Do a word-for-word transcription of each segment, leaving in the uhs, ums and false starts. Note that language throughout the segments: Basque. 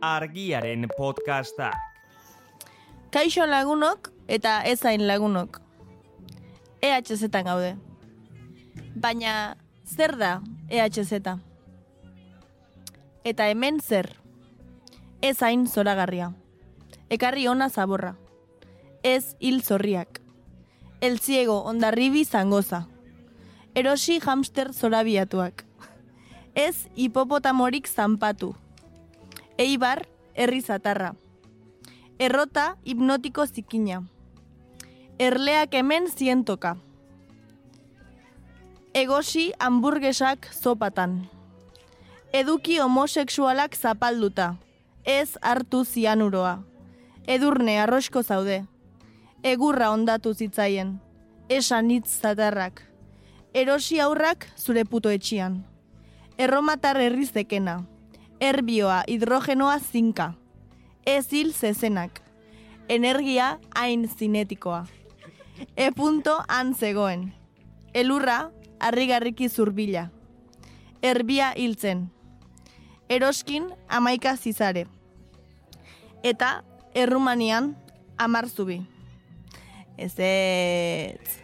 Argiaren podcastak. Kaixo lagunok eta ezain lagunok. E H Z-an gaude. Baina zer da E H Z? Eta hemen zer? Ezain zoragarria. Ekarri ona zaborra. Ez hil zorriak. El ciego ondarribi zangoza. Erosi hamster zorabiatuak. Ez hipopotamorik zanpatu. Eibar herri zatarra. Errota hipnotiko zikina. Erleak hemen zientoka. Egosi hamburgesak zopatan. Eduki homosexualak zapalduta. Ez hartu zianuroa. Edurne arrosko zaude. Egurra ondatu zitzaien. Esan hitz zatarrak. Erosi aurrak zure puto etxian. Erromatar herrizekena. Erbioa hidrogenoa zinka. Ez hil zezenak. Energia hain zinetikoa. E punto han zegoen. Elurra harrigarriki zurbila. Erbia hiltzen. Eroskin amaika zizare. Eta Errumanian amar zubi. Ez ez.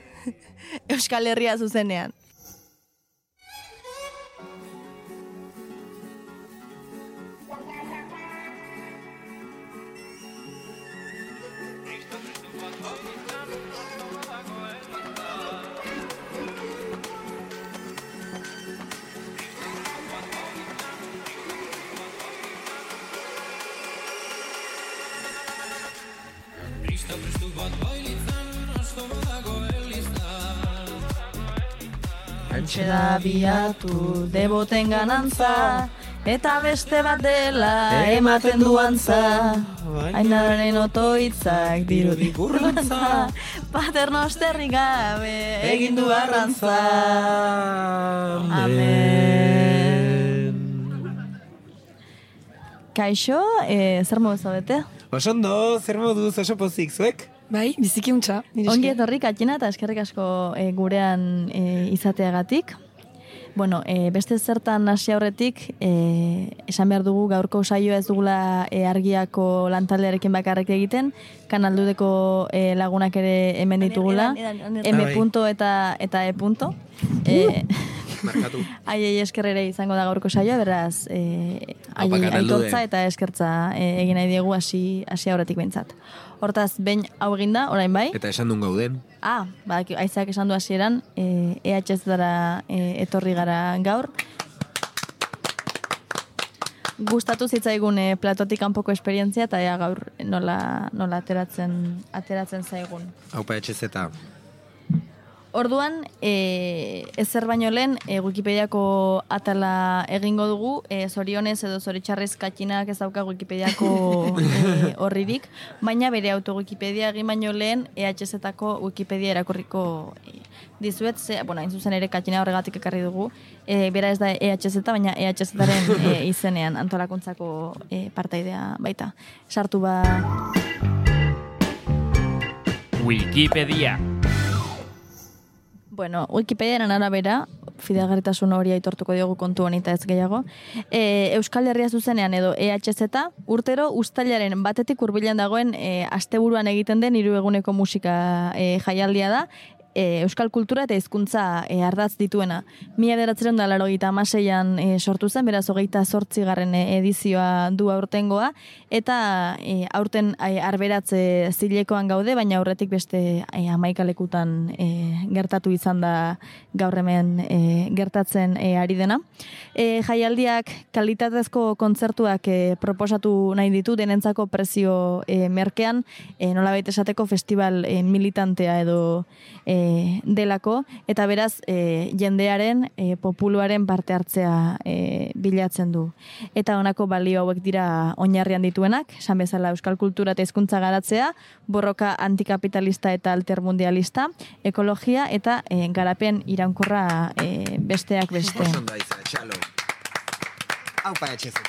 Euskal Herria zuzenean. Antxe da biatu deboten ganantza, eta beste bat dela ematen duantza. Ainaren otoitzak dirudik urruntza, paternosterrik gabe egin du arrantza. Amen. Kaixo, eh, zer modu zaudete? Osondo, zer moduz oso pozik zuek? Bai, biziki untxa. Ongi etorri Katxina eta eskerrik asko e, gurean e, izateagatik. Bueno, e, beste zertan hasi aurretik, e, esan behar dugu gaurko saioa ez dugula e, Argiako lantaldearekin bakarrik egiten, Kanaldudeko e, lagunak ere hemen ditugula, M punto eta, eta E punto. E, Markatu. Aiei eskerrere izango da gaurko saioa, beraz, e, aiei aitortza eta eskertza e, egin nahi diegu hasi hasi aurretik behintzat. Hortaz, behin hau eginda, orain bai. Eta esan duen gauden. Ah, ba, aizak esan du hasieran, e, E H Z-dara e, etorri gara gaur. Gustatu zitzaigun e, platotik kanpoko esperientzia, eta ea gaur nola, nola ateratzen, ateratzen zaigun. Haupa E H Z. Orduan, e, ezer baino lehen, e, Wikipediako atala egingo dugu, e, zorionez edo zoritxarrez Katxinak ez dauka Wikipediako e, horririk, baina bere auto-Wikipedia egin baino lehen E H Z-ako Wikipedia erakorriko e, dizuet, ze, bueno, hain zuzen ere Katxina horregatik ekarri dugu, e, bera ez da E H Z, baina E H Z-aren e, izenean antolakuntzako e, partaidea baita. Sartu ba... Wikipedia. Bueno, Wikipediaren arabera, fidagarritasun hori aitortuko diogu kontu honita ez gehiago, e, Euskal Herria zuzenean edo E H Z, urtero uztailaren batetik hurbilen dagoen e, asteburuan egiten den hiru eguneko musika e, jaialdia da, e, euskal kultura eta hizkuntza e, ardatz dituena. Mila bederatziehun eta laurogeita hamaseian e, sortu zen, beraz hogeita zortzigarren edizioa du aurtengoa, eta e, aurten e, arberatze zilekoan gaude, baina aurretik beste e, hamaika-lekutan e, gertatu izan da gaur hemen e, gertatzen e, ari dena. E, jaialdiak kalitatezko kontzertuak e, proposatu nahi ditu, denentzako prezio e, merkean, e, nolabait esateko festival e, militantea edo e, delako, eta beraz e, jendearen, e, populuaren parte hartzea e, bilatzen du. Eta honako balio hauek dira oinarrian dituenak, esan bezala euskal kultura eta hizkuntza garatzea, borroka antikapitalista eta altermundialista, ekologia eta e, garapen iraunkorra e, besteak beste. Osondo aiza, txalo. Haupa E H Z.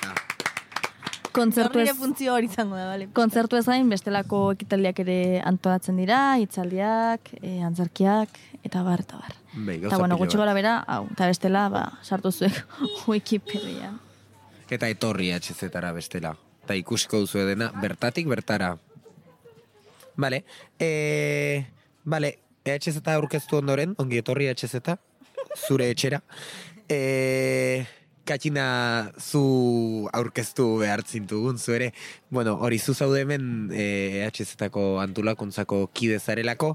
Kontzertu ez, funtzio hori izango da, bale. kontzertu ez gain, bestelako ekitaldiak ere antolatzen dira, hitzaldiak, e, antzerkiak, eta bar, eta bar. Bai, Eta bueno, gutxi gora bera, hau, eta bestela, ba, sartu zuek Wikipedia. Eta etorri H Z-ara bestela. eta ikusiko duzu dena, bertatik bertara. Bale, e, bale, E H Z aurkeztu ondoren, ongi etorri E H Z, zure etxera. E, Katxina zu aurkeztu behar zintugun, zu ere, bueno, hori zu zaude hemen E H Z-ako antolakuntzako kide zarelako,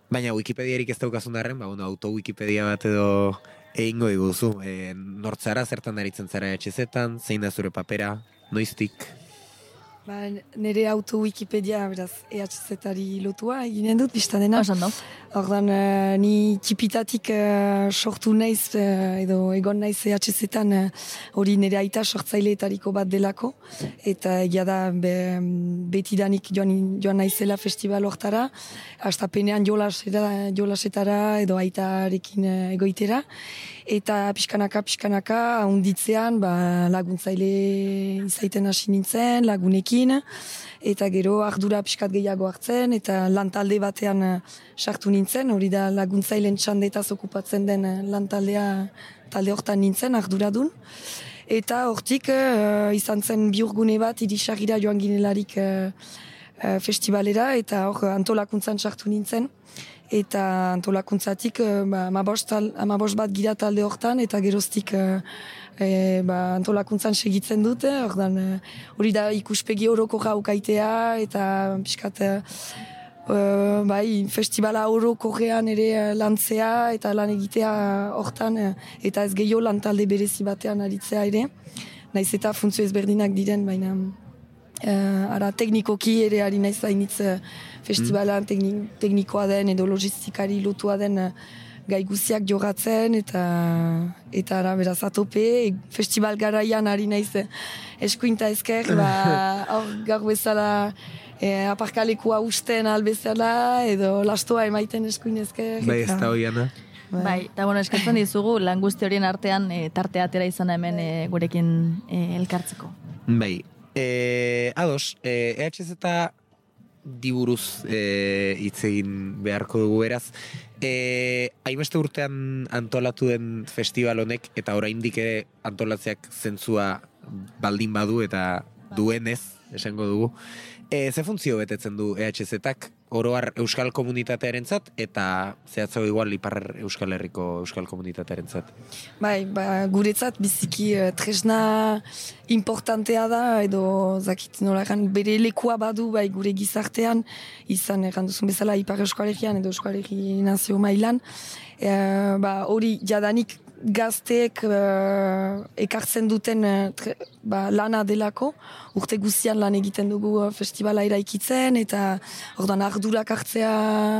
baina Wikipediarik ez daukazun darren, ba, bueno, auto-Wikipedia bat edo egingo diguzu. E, nortzara, zertan aritzen zara E H Z-an, zein da zure papera, noiztik? Ba, nire auto-Wikipedia, beraz, E H Z-ari lotua eginen dut, biztan dena. Osan do. Ordan, uh, ni txipitatik uh, sortu naiz, uh, edo egon naiz E H Z-an, hori uh, nire aita sortzaileetariko bat delako, eta egia da be, betidanik joan, joan naizela festival hortara, hastapenean jolasera, jolasetara edo aitarekin uh, egoitera, eta pixkanaka, pixkanaka, ahonditzean, ba, laguntzaile izaiten hasi nintzen, lagunekin, eta gero ardura pixkat gehiago hartzen, eta lantalde batean uh, sartu nintzen, hori da laguntzailen txandetaz okupatzen den uh, lantaldea talde hortan nintzen, arduradun. Eta hortik uh, izan zen bihurgune bat, irisagira joan ginelarik uh, uh, festivalera, eta hor antolakuntzan sartu nintzen. Eta antolakuntzatik uh, ba, amabost bat gira talde hortan, eta geroztik uh, e, ba, antolakuntzan segitzen dute, ordan hori da ikuspegi oroko jaukaitea, eta pixkat uh, bai, festivala orokorrean ere lantzea, eta lan egitea hortan, eta ez gehiago lan talde berezi batean aritzea ere, naiz eta funtzio ezberdinak diren, baina uh, ara teknikoki ere ari naiz hainitz uh, festivalan tekni, teknikoa den edo logistikari lotua den uh, gai guziak jogatzen, eta eta ara beraz atope, festival garaian ari naiz eskuinta ezker, ba, hor gaur bezala e, aparkalekua usten albezala, edo lastoa emaiten eskuin ezker. Bai, ez da hoiana. Bai, eta bueno, eskatzen dizugu lan guzti horien artean e, tarte atera izan hemen e, gurekin e, elkartzeko. Bai, e, ados, e, E H Z diburuz hitz e, egin beharko dugu beraz. E, hainbeste urtean antolatu den festival honek, eta oraindik ere antolatzeak zentzua baldin badu eta duenez, esango dugu. E, ze funtzio betetzen du E H Z-ak oroar euskal komunitatearentzat eta zehatzago igual ipar Euskal Herriko euskal komunitatearentzat? Bai, ba, guretzat biziki uh, tresna importantea da, edo zakit nola egan, bere lekua badu bai gure gizartean, izan egan duzun bezala ipar Euskal Herrian edo Euskal Herri nazio mailan, e, ba, hori jadanik gazteek uh, ekartzen duten uh, tre, ba, lana delako, urte guztian lan egiten dugu uh, festivala eraikitzen, eta ordan ardurak hartzea,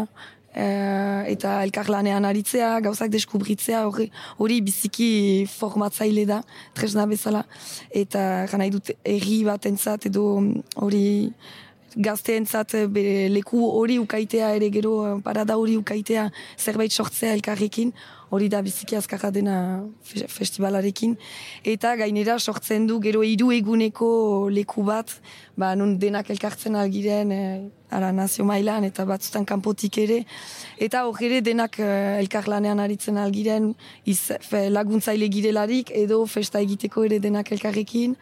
uh, eta elkarlanean aritzea, gauzak deskubritzea, hori, hori biziki formatzaile da, tresna bezala, eta gana dut erri batentzat edo hori gazteentzat bere leku hori ukaitea ere gero parada hori ukaitea zerbait sortzea elkarrekin, hori da biziki azkarra dena festivalarekin, eta gainera sortzen du gero hiru eguneko leku bat, ba, nun denak elkartzen algiren e, ara nazio mailan eta batzutan kanpotik ere, eta hor ere denak e, elkarlanean aritzen algiren, iz, fe, laguntzaile girelarik edo festa egiteko ere denak elkarrekin.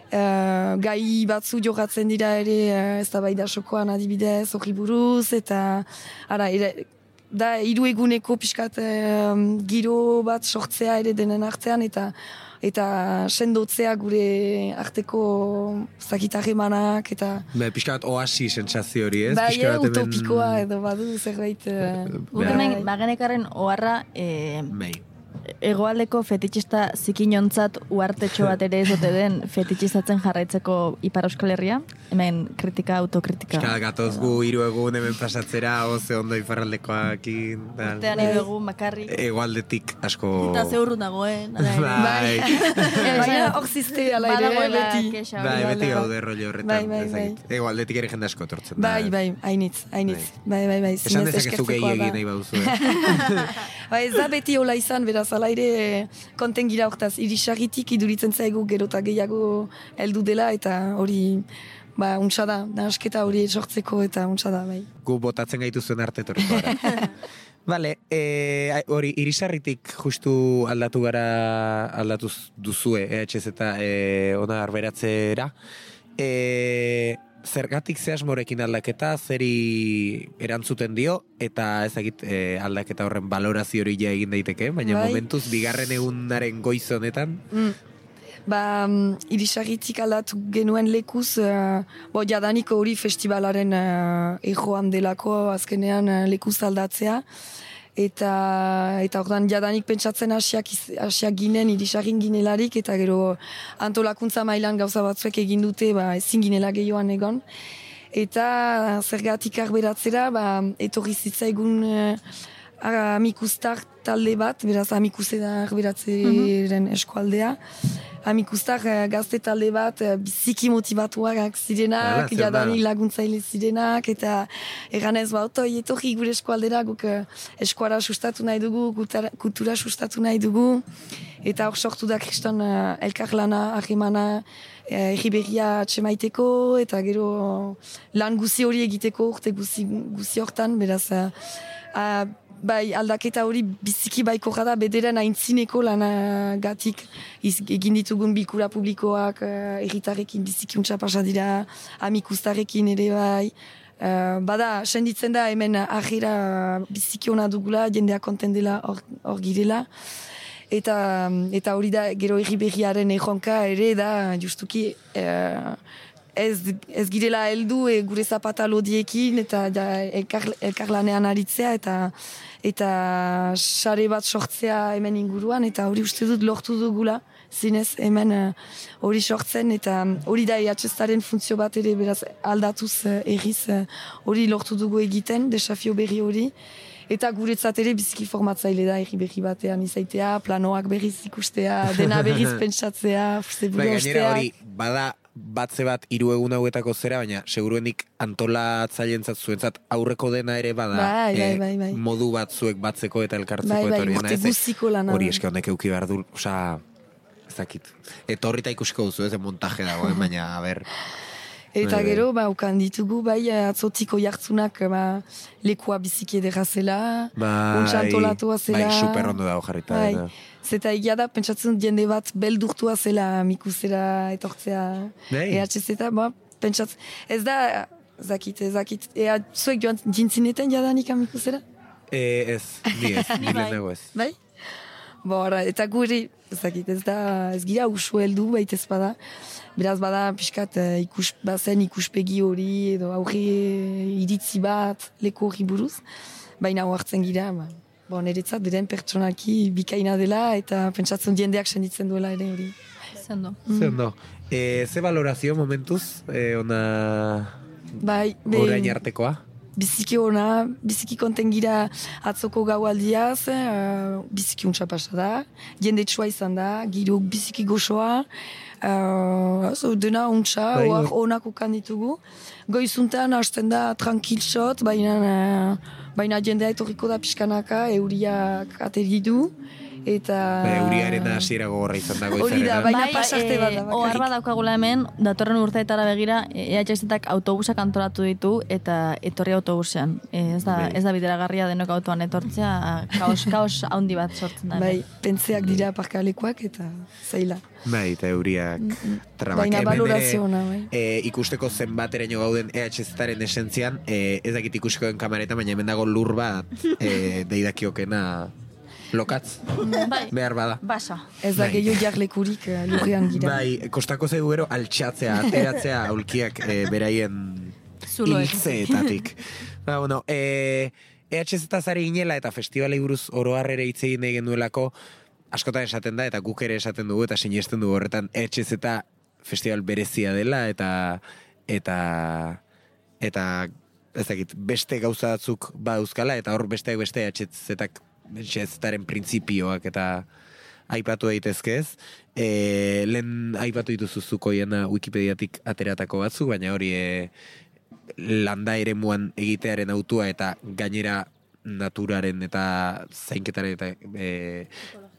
Uh, gai batzu jogatzen dira ere uh, ez da bai da sokoan adibidez horri buruz, eta ara, ere, da hiru eguneko pixkat uh, giro bat sortzea ere denen artean, eta eta sendotzea gure arteko zakitarremanak, eta Be, pixkat oasi sentsazio hori, ez? Bai, Pixka bat hemen- utopikoa edo badu zerbait uh, Guk hemen bagenekaren oharra e, Bai. hegoaldeko fetitxista zikinontzat uartetxo bat ere ez ote den fetitxizatzen jarraitzeko Ipar Euskal Herria, hemen kritika, autokritika. Pixka gatoz gu hiru egun hemen pasatzera, oze ondo iparraldekoakin. tal. Urtean hiru egun makarrik. Hegoaldetik asko... Eta ze urrun dagoen. ala ere. Bai. baina hor ziste ala ere Badagoela beti. kexa Bai, hori. beti gaude rollo horretan. Bai, bai, ezagit. Hegoaldetik ere jende asko etortzen da. Bai, bai, hainitz, hainitz. Bai, bai, bai. Esan zinez dezakezu gehi eskertzekoa da. egin nahi baduzu, eh? Ba, ez da beti hola izan, beraz, ala ere konten gira hortaz, irisarritik iduritzen zaigu gero eta gehiago heldu dela, eta hori, ba, untsa da, nahasketa hori sortzeko, eta untsa da, bai. Gu botatzen gaituzuen arte etorriko gara. Vale, eh, hori, irisarritik justu aldatu gara, aldatu duzue E H Z eh, ona arberatzera. E, zergatik ze asmorekin aldaketa, zeri erantzuten dio, eta ezagit e, aldaketa horren balorazio hori ja egin daiteke, baina Bai. momentuz, bigarren egunaren goiz honetan, Mm. Ba, um, irisarritik aldatu genuen lekuz, uh, bo, jadaniko hori festivalaren uh, ejoan delako, azkenean uh, lekuz aldatzea. Eta, eta ordan jadanik pentsatzen hasiak, iz- hasiak ginen, irisarrin ginelarik, eta gero antolakuntza mailan gauza batzuek egin dute, ba, ezin ginela gehioan egon. Eta zergatik arberatzera, ba, etorri zitzaigun uh, amikustar talde bat, beraz amikuse da arberatzeren eskualdea. Amikustar eh, gazte talde bat eh, biziki motivatuak zirenak, Hala, zer da? jadanik laguntzaile zirenak, eta eganez ba, otoi etorri gure eskualdera, guk eh, eskuara sustatu nahi dugu, kultura, kultura sustatu nahi dugu, eta hor sortu da kriston uh, elkarlana, ahemana, eh, erriberria atxemaiteko, eta gero lan guzi hori egiteko urte guzi, guzi hortan, beraz, uh, uh, bai, aldaketa hori biziki baiko da bederen aintzineko lanagatik iz- egin ditugun bilkura publikoak, uh, erritarrekin biziki untsa pasa dira, amikustarekin ere bai. Uh, bada, senditzen da hemen ahira biziki ona dugula, jendeak konten dela hor, hor girela. Eta, eta hori da, gero erriberriaren erronka ere da, justuki, uh, ez, ez girela heldu e, gure zapata lodiekin, eta ja, elkar, elkarlanean aritzea, eta eta sare bat sortzea hemen inguruan, eta hori uste dut lortu dugula, zinez hemen uh, hori sortzen, eta hori da E H Z-aren funtzio bat ere, beraz aldatuz uh, erriz uh, hori lortu dugu egiten, desafio berri hori. Eta guretzat ere biziki formatzaile da erri berri batean izaitea, planoak berriz ikustea, dena berriz pentsatzea, zeburu bai, gainera osteak. hori, bada batze bat hiru egun hauetako zera, baina seguruenik antolatzaileentzat zuentzat aurreko dena ere bada Bai, bai, eh, bai, bai. modu batzuek batzeko eta elkartzeko Bai, bai, eta hori urte dena, ez, guztiko lana hori da. eske honek euki behar du, osea, ez dakit. Etorrita ikusiko duzu, ez de montaje dagoen, baina, a ber, Eta Bai, bai. gero, ba, ukan ditugu, bai, atzotiko jartzunak, ba, lekua biziki edera zela, untsa antolatua zela. bai, super ondo dago jarrita. Bai, eta- zeta egia da, pentsatzen dut jende bat beldurtua zela mikusera etortzea Bai. E H Z, ba, pentsatzen, ez da, zakit, ez zakit, ea, zuek joan jintzineten jadanik amikusera? E, ez, ni ez, ni lehenago ez. Bai? Bora, eta guri, ez dakit, ez da, ez gira usu heldu, baitez bada. Beraz bada, pixkat, eh, ikus, bazen ikuspegi hori, edo aurre iritzi bat, leku hori buruz. Baina hartzen gira, ba, bon, eretzat, beren pertsonaki bikaina dela, eta pentsatzen jendeak senditzen duela ere hori. Zendo. Ze ondo. E, ze valorazio momentuz, e, ona Bai, orain artekoa? biziki ona, biziki konten gira atzoko gaualdiaz, uh, biziki untsa pasa da, jende txua izan da, girok biziki goxoa, uh, so, dena untsa, Bai, oak hor- onak ukan ditugu. Goizuntan hasten da tranquil shot, baina, uh, baina jendea etorriko da pixkanaka, euriak ateri du, eta... Ba, euriaren hasiera gogorra izan dago Hori da, izarena. baina pasarte bat da, eh, ohar bakarrik. bat daukagula hemen, datorren urteetara begira, E H Z-ak autobusak antolatu ditu, eta etorri autobusean. Eh, ez da, Bai. ez da bideragarria denok autoan etortzea, kaos, kaos handi bat sortzen da. Bai, pentzeak dira parkalekuak eta zaila. Bai, eta euriak trabak. Baina Hemen valorazio ere, ona, bai. e, ikusteko zenbateraino gauden E H Z-aren esentzian, e, ez dakit ikusiko den kamareta, baina hemen dago lur bat e, deidakiokena lokatz, Bai, behar bada. basa. Ez da Bai. gehiago jarlekurik uh, lurrean gira. Bai, kostako zaigu gero altxatzea, ateratzea aulkiak e, beraien Zuloek. hiltzeetatik. Ba, bueno, e, E H Z zari ginela eta festivalei buruz oroharrere hitz egin nahi genuelako, askotan esaten da, eta guk ere esaten dugu, eta sinesten dugu horretan, E H Z festival berezia dela, eta eta eta ez dakit, beste gauza batzuk badauzkala, eta hor besteak beste E H Z-ak E H Z-aren printzipioak eta aipatu daitezke ez. E, lehen aipatu dituzu zukoiena Wikipediatik ateratako batzuk, baina hori e, landa eremuan egitearen autua eta gainera naturaren eta zainketaren eta e,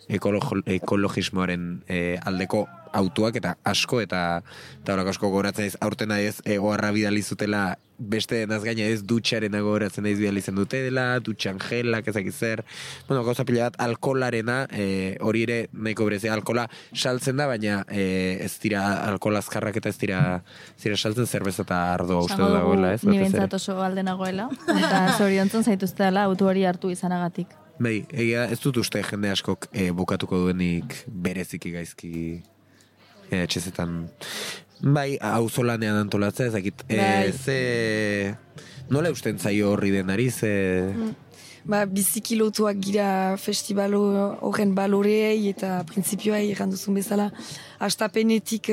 ekolo- ekologismoaren e, aldeko autuak eta asko eta eta horako asko gogoratzen ez aurten ez egoarra bidali zutela beste denaz gaina ez dutxaren gogoratzen ez bidali zen dute dela, dutxan gelak ezak zer, bueno, gauza pila bat alkolarena, e, hori ere nahiko berezia alkola saltzen da, baina e, ez dira alkola azkarrak eta ez dira, ez dira saltzen zerbeza eta ardoa uste dagoela, ez? Ni bentsat oso alde nagoela, eta zoriontzen zaituzte dela autu hori hartu izanagatik. Bai, egia ez dut uste jende askok e, bukatuko duenik bereziki gaizki e, etxezetan. Bai, auzolanean antolatzea ezakit. Bai. E, ze... Nola usten zaio horri denari, ze... Mm. Ba, biziki lotuak gira festibalo horren baloreei eta printzipioai erranduzun bezala. Astapenetik,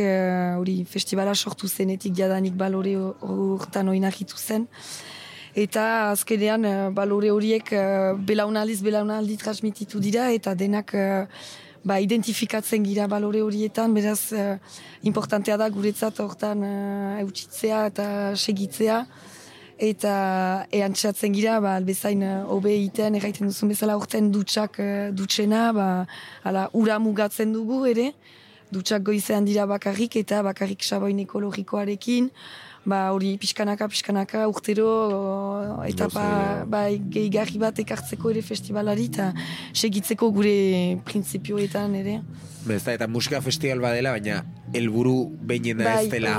hori, uh, festibala sortu zenetik jadanik balore hortan oinakitu zen. Eta azkenean uh, balore horiek uh, belaunaldiz belaunaldi transmititu dira eta denak uh, ba, identifikatzen gira balore horietan, beraz uh, importantea da guretzat hortan uh, eutxitzea eta segitzea. Eta eantxatzen gira, ba, albezain hobe egiten, erraiten duzun bezala urten dutxak dutxena, ba, ala, ura mugatzen dugu ere, dutxak goizean dira bakarrik eta bakarrik saboin ekologikoarekin, ba, hori pixkanaka, pixkanaka, urtero etapa ba, gehigarri bat ekartzeko ere festivalari eta segitzeko gure printzipioetan ere. Bez da, eta musika festival badela, baina helburu behinena bai, ez dela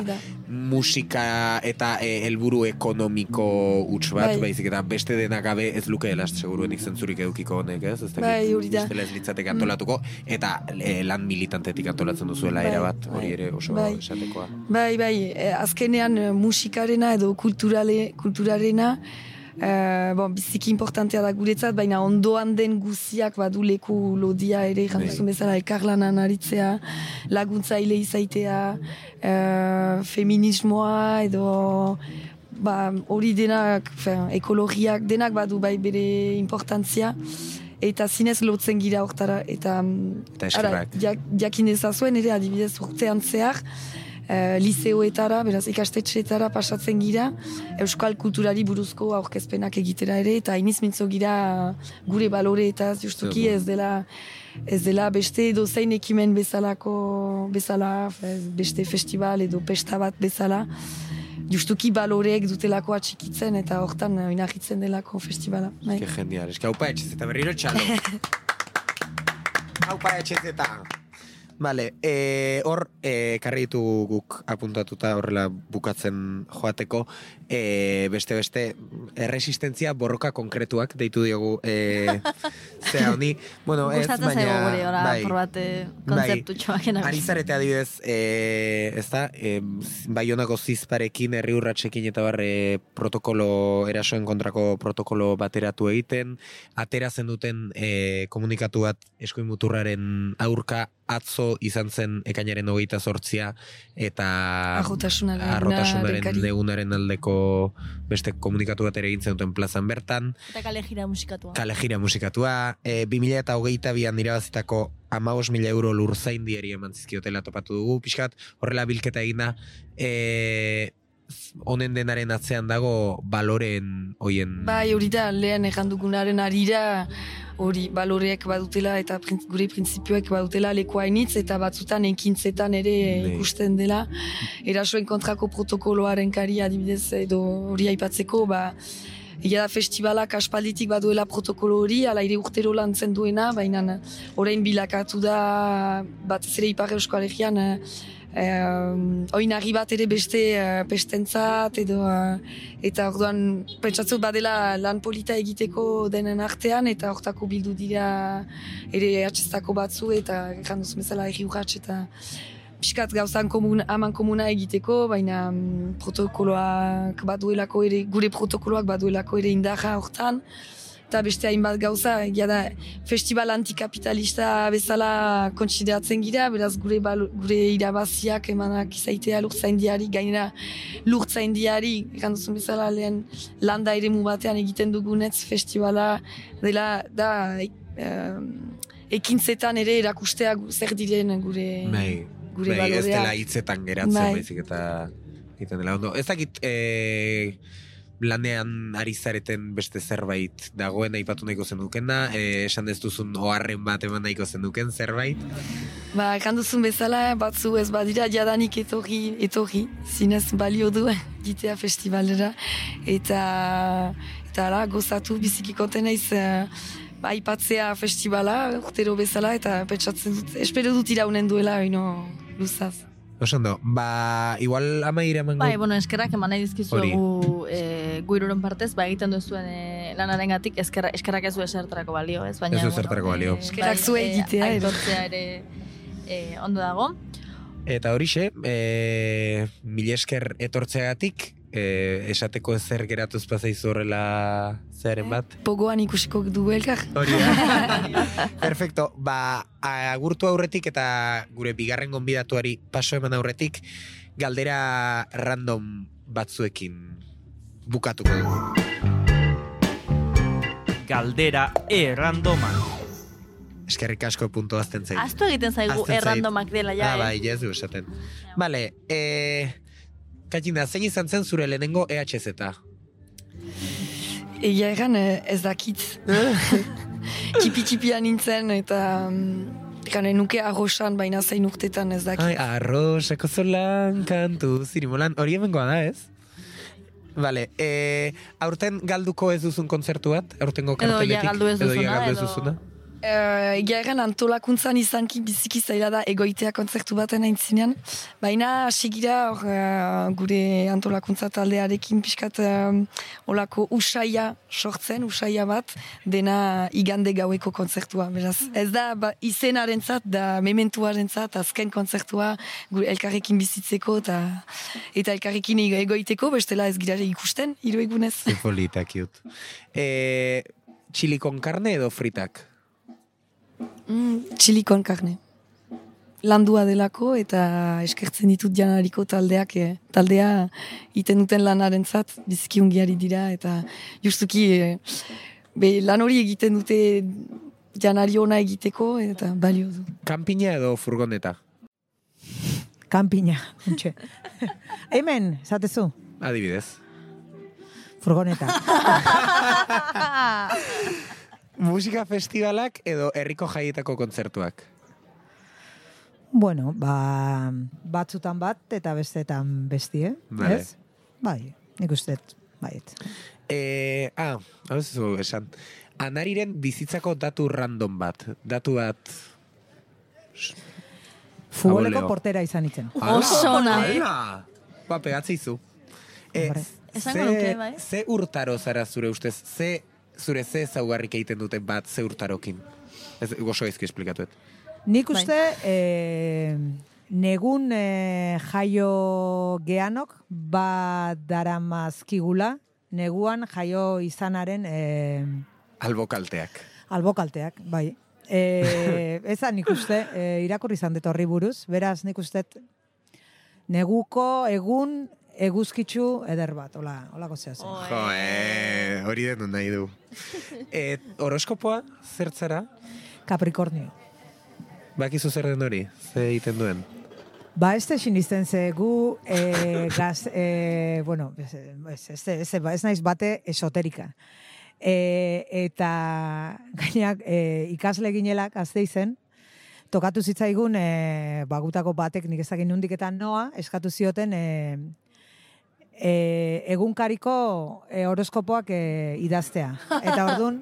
musika eta e, helburu ekonomiko huts bat, bai. Baizik eta beste denak gabe ez luke dela seguruenik zentzurik edukiko honek, ez? Ez bai, hori da. Ez litzatek antolatuko, eta e, lan militantetik antolatzen duzuela bai, erabat, hori ere oso bai. esatekoa. Bai, bai, azkenean musikarena edo kulturale, kulturarena, Uh, bon, biziki importantea da guretzat, baina ondoan den guziak badu leku lodia ere, jantuzun bezala ekarlanan aritzea, laguntzaile izaitea, uh, feminismoa edo ba, hori denak, fin, ekologiak denak badu bai bere importantzia. Eta zinez lotzen gira hortara, eta, eta ara, jak, jakin ezazuen ere adibidez urtean zehar, Uh, liseoetara, beraz ikastetxeetara pasatzen gira, euskal kulturari buruzko aurkezpenak egitera ere, eta iniz mintzo gira gure baloreetaz, justuki ez dela, ez dela beste dozein ekimen bezalako, bezala, beste festival edo pesta bat bezala, justuki baloreek dutelako atxikitzen, eta hortan oinarritzen delako festivala. Bai. Ke genial, eski haupa etxez eta berriro txalo. Haupa etxez eta... Vale, e, hor, e, karri ditu guk apuntatuta horrela bukatzen joateko, e, beste-beste erresistentzia borroka konkretuak deitu diogu e, zea honi. Bueno, ez, baina... Gustatzen zaigu gure, ora, bai, por kontzeptu bai, txoak. Ari zarete adibidez, e, ez da, e, Baionako zizparekin, herri urratxekin eta barre protokolo, erasoen kontrako protokolo bateratu egiten, atera zen duten e, komunikatu bat eskuin muturraren aurka, atzo izan zen ekainaren hogeita zortzia eta arrotasunaren egunaren aldeko beste komunikatu bat ere egintzen duten plazan bertan. Eta kale jira musikatua. Kale jira musikatua. E, bi mila eta hogeita bian irabazitako hamabost mila euro lurzaindiari eman zizkiotela topatu dugu. Pixkat, horrela bilketa egina, e, honen denaren atzean dago baloren hoien... Bai, hori da, lehen errandugunaren arira, hori baloreek badutela eta printz, gure printzipioek badutela lekuainitz eta batzutan ekintzetan ere ne. Ikusten dela. Erasoen kontrako protokoloaren kari adibidez edo hori aipatzeko, ba, egia da festivalak aspalditik baduela protokolo hori, ala ere urtero lantzen duena, baina orain bilakatu da bat zere Ipar Euskal Herrian Uh, oinarri bat ere beste uh, pestentzat edo uh, eta orduan pentsatzut badela lan polita egiteko denen artean eta hortako bildu dira ere atxestako batzu eta ganduz bezala erri urratx eta piskat gauzan komun, aman komuna egiteko, baina um, protokoloak baduelako ere, gure protokoloak baduelako ere indarra hortan. Eta beste hainbat gauza, egia da, festival antikapitalista bezala kontsideratzen gira, beraz gure, balo, gure irabaziak emanak izaitea lurtzaindiari, gainera lurtzaindiari, eganduzun bezala lehen landa ere mu batean egiten dugunetz festivala dela, da, e, ekintzetan ere erakustea zer diren gure, bai, gure bai, balorea. Ez dela hitzetan geratzen, bai. Baizik eta egiten dela ondo. Ez dakit... E... lanean ari zareten beste zerbait dagoen aipatu nahiko zenukena, e, esan ez duzun oharren bat eman nahiko zenuken zerbait? Ba, ekan duzun bezala, batzu ez badira jadanik etorri, etorri, zinez balio du gitea festivalera, eta, eta ala, gozatu biziki konten naiz, ba, aipatzea festivala, urtero bezala, eta pentsatzen dut, espero dut iraunen duela, oino, luzaz. Osondo, ba, igual amaira emango... Bai, bueno, eskerrak eman nahi dizkizuegu e, guiruron partez, ba, egiten duzuen e, lanaren gatik, eskerrak, eskerrak ez du esertarako balio, ez? Baina, ez du esertarako balio. E, eskerrak zue egitea, e, aitortzea ere e, ondo dago. Eta horixe, e, mil esker etortzeagatik, e, esateko ezer geratuz pasaizu horrela zearen bat? Pogoan ikusiko du elkar. Hori da. Perfecto, ba, agurtu aurretik eta gure bigarren gonbidatuari paso eman aurretik, galdera random batzuekin bukatuko dugu. Galdera e-randoma. Eskerrik asko puntu azten zaigu. Aztu egiten zaigu e-randomak dela, ja, ah, bai, ez du esaten. Vale, eh, Katina, zein izan zen zure lehenengo E H Z? Egia egan ez dakit. Txipi-txipia nintzen eta gane nuke arrosan, baina zein urtetan ez dakit. Ai, arrosako zolan kantu zirimolan, hori hemengoa da, ez? Vale, eh, aurten galduko ez duzun kontzertu bat? Aurtengo karteletik? Edo ja galdu ez duzuna. Edo ja galdu ez duzuna? Uh, Egia egan antolakuntzan izanki biziki zaila da egoitea kontzertu baten aintzinean. Baina sigira uh, gure antolakuntza taldearekin pixkat uh, olako usaia sortzen, usaia bat, dena igande gaueko kontzertua. Beraz, ez da ba, izenarentzat, da mementuarentzat, azken kontzertua gure elkarrekin bizitzeko eta eta elkarrekin egoiteko, bestela ez gira ikusten, hiru egunez. Politak jut. E, Chili con carne edo fritak? Mm, chili con carne. Landua delako eta eskertzen ditut janariko taldeak, eh, taldea iten duten lanarentzat biziki ungiari dira eta justuki eh, be, lan hori egiten dute janari ona egiteko eta balio du. Kanpina edo furgoneta? Kanpina, untxe. Hemen, zatezu? Adibidez. Furgoneta. Musika festivalak edo herriko jaietako kontzertuak? Bueno, ba, batzutan bat eta bestetan bestie, Vale. ez? Bai, nik usteet, baiet. E, ah, hau ez zu esan. Anariren bizitzako datu random bat. Datu bat... Futboleko Aboleo. portera izan itzen. Oso ona. Ala! Ba, pegatzeizu. E, Hombre. Esango ze- nuke, bai. Ze urtaro zara zure ustez? Ze, zure ze zaugarrik egiten duten bat ze urtarokin? Ez, gozo ezki esplikatuet. Nik Bai. uste, eh, negun eh, jaio geanok bat daramazkigula, neguan jaio izanaren eh, Albokalteak. albokalteak, bai. E, ezan nik uste, e, irakurri izan dut horri buruz, beraz nik uste neguko egun eguzkitzu eder bat, hola, holako zea zen. Jo, eh, hori den nahi du. E, horoskopoa, zertzara? Capricornio. Bakizu zer den hori? Ze egiten duen? Ba, ez da sinisten ze gu, e, gaz, e, bueno, ez, ez, ez, ez, ez naiz bate esoterika. E, eta gainak e, ikasle ginelak azte izen, tokatu zitzaigun e, bagutako batek nik ezakin nundiketan noa, eskatu zioten e, e, egunkariko e, horoskopoak e, idaztea. Eta orduan,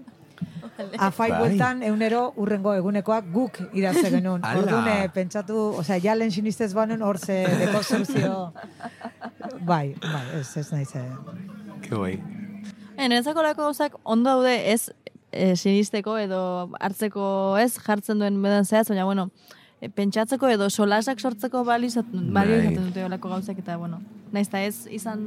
afai Bai. bueltan eunero urrengo egunekoak guk idazte genuen. Ala. Orduan e, pentsatu, osea, ja lehen sinistez banen hor ze dekonstruzio. Bai, bai, ez, ez naiz. E, Ke guai. Niretzako lako gauzak ondo daude ez e, sinisteko edo hartzeko ez jartzen duen bedan zehaz, baina bueno, e, pentsatzeko edo solasak sortzeko balio izaten, balio Bai. izaten dute olako gauzak eta bueno, naiz eta ez izan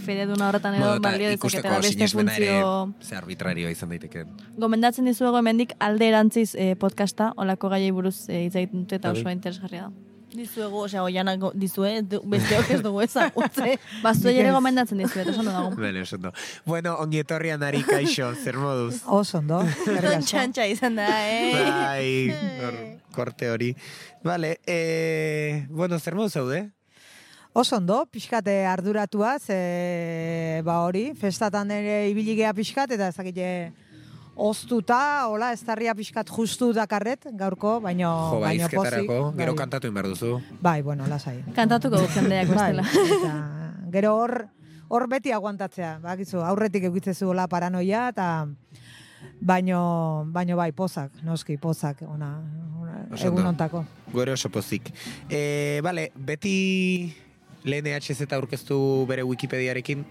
fededuna horretan edo Bueno, eta balio ikusteko dezaketela beste sinesmena ere funtzio... ze arbitrarioa izan daiteke. Gomendatzen dizuego hemendik alde erantziz e, podcasta, olako gaiei buruz e, hitz egiten dute eta Bai. oso interesgarria da. Dizuego, osea, oianak dizue, du- besteok ez dugu ezagutze. Bazuei ere gomendatzen dizue, eta oso dago. Bele, oso ondo. Bueno, ongi etorri Anari, kaixo, zer moduz? oso ondo, eskerrik asko. Txantxa izan da, eh? Bai, hor, korte hori. Vale, eh, bueno, zer moduz zaude? Oso ondo, pixkate arduratua, ze, ba hori, festatan ere ibiligea pixkat, eta ezakite oztuta, hola, estarria pixkat justu dakarret, gaurko, baino, Jo, ba, baino izketarako, pozik. gero bai. kantatu inbar duzu. Bai, bueno, lasai. Kantatuko du jendeak bestela. Bai, eta gero hor, hor beti aguantatzea, bakizu, aurretik eukitzezu hola paranoia, eta baino, baino bai, pozak, noski, pozak, ona, ona Oso egun ondo. ontako. Gure oso pozik. E, bale, beti lehen E H Z aurkeztu bere Wikipediarekin,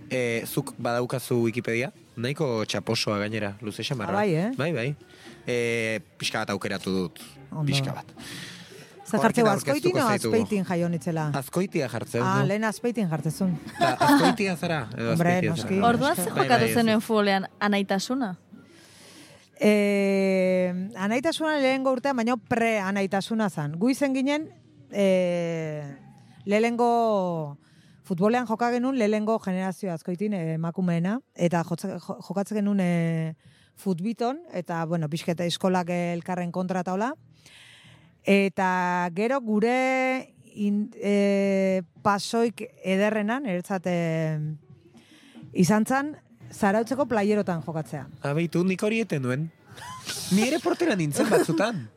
e, zuk badaukazu Wikipedia, nahiko txaposoa gainera, luze xamarra. Ah, bai, eh? Bai, bai. E, pixka bat aukeratu dut, Ondo. pixka bat. Zer jartzeu, Horrekin azkoitin o aurkeztuko zaitugu. azpeitin jaionitzela? Azkoitia jartzeu, Ah, no? lehen azpeitin jartzezun. Ta, azkoitia zara? Edo Hombre, azkoitia noski. zara? Orduan ze Bai, bai, jokatu ez. zenuen futbolean anaitasuna? E, anaitasuna lehengo urtean, baina pre-anaitasuna zan. Gu izen ginen, e, lehengo futbolean joka genuen lehengo generazio azkoitin e, emakumeena, eta jotza- jo- jokatzen genuen e, futbiton, eta, bueno, pixketa eskolak elkarren kontra eta hola. Eta gero gure in, e, pasoik ederrenan, eretzat e, izan zan, zarautzeko playerotan jokatzea. Abeitu, nik hori eten nuen. Ni ere portera nintzen batzutan.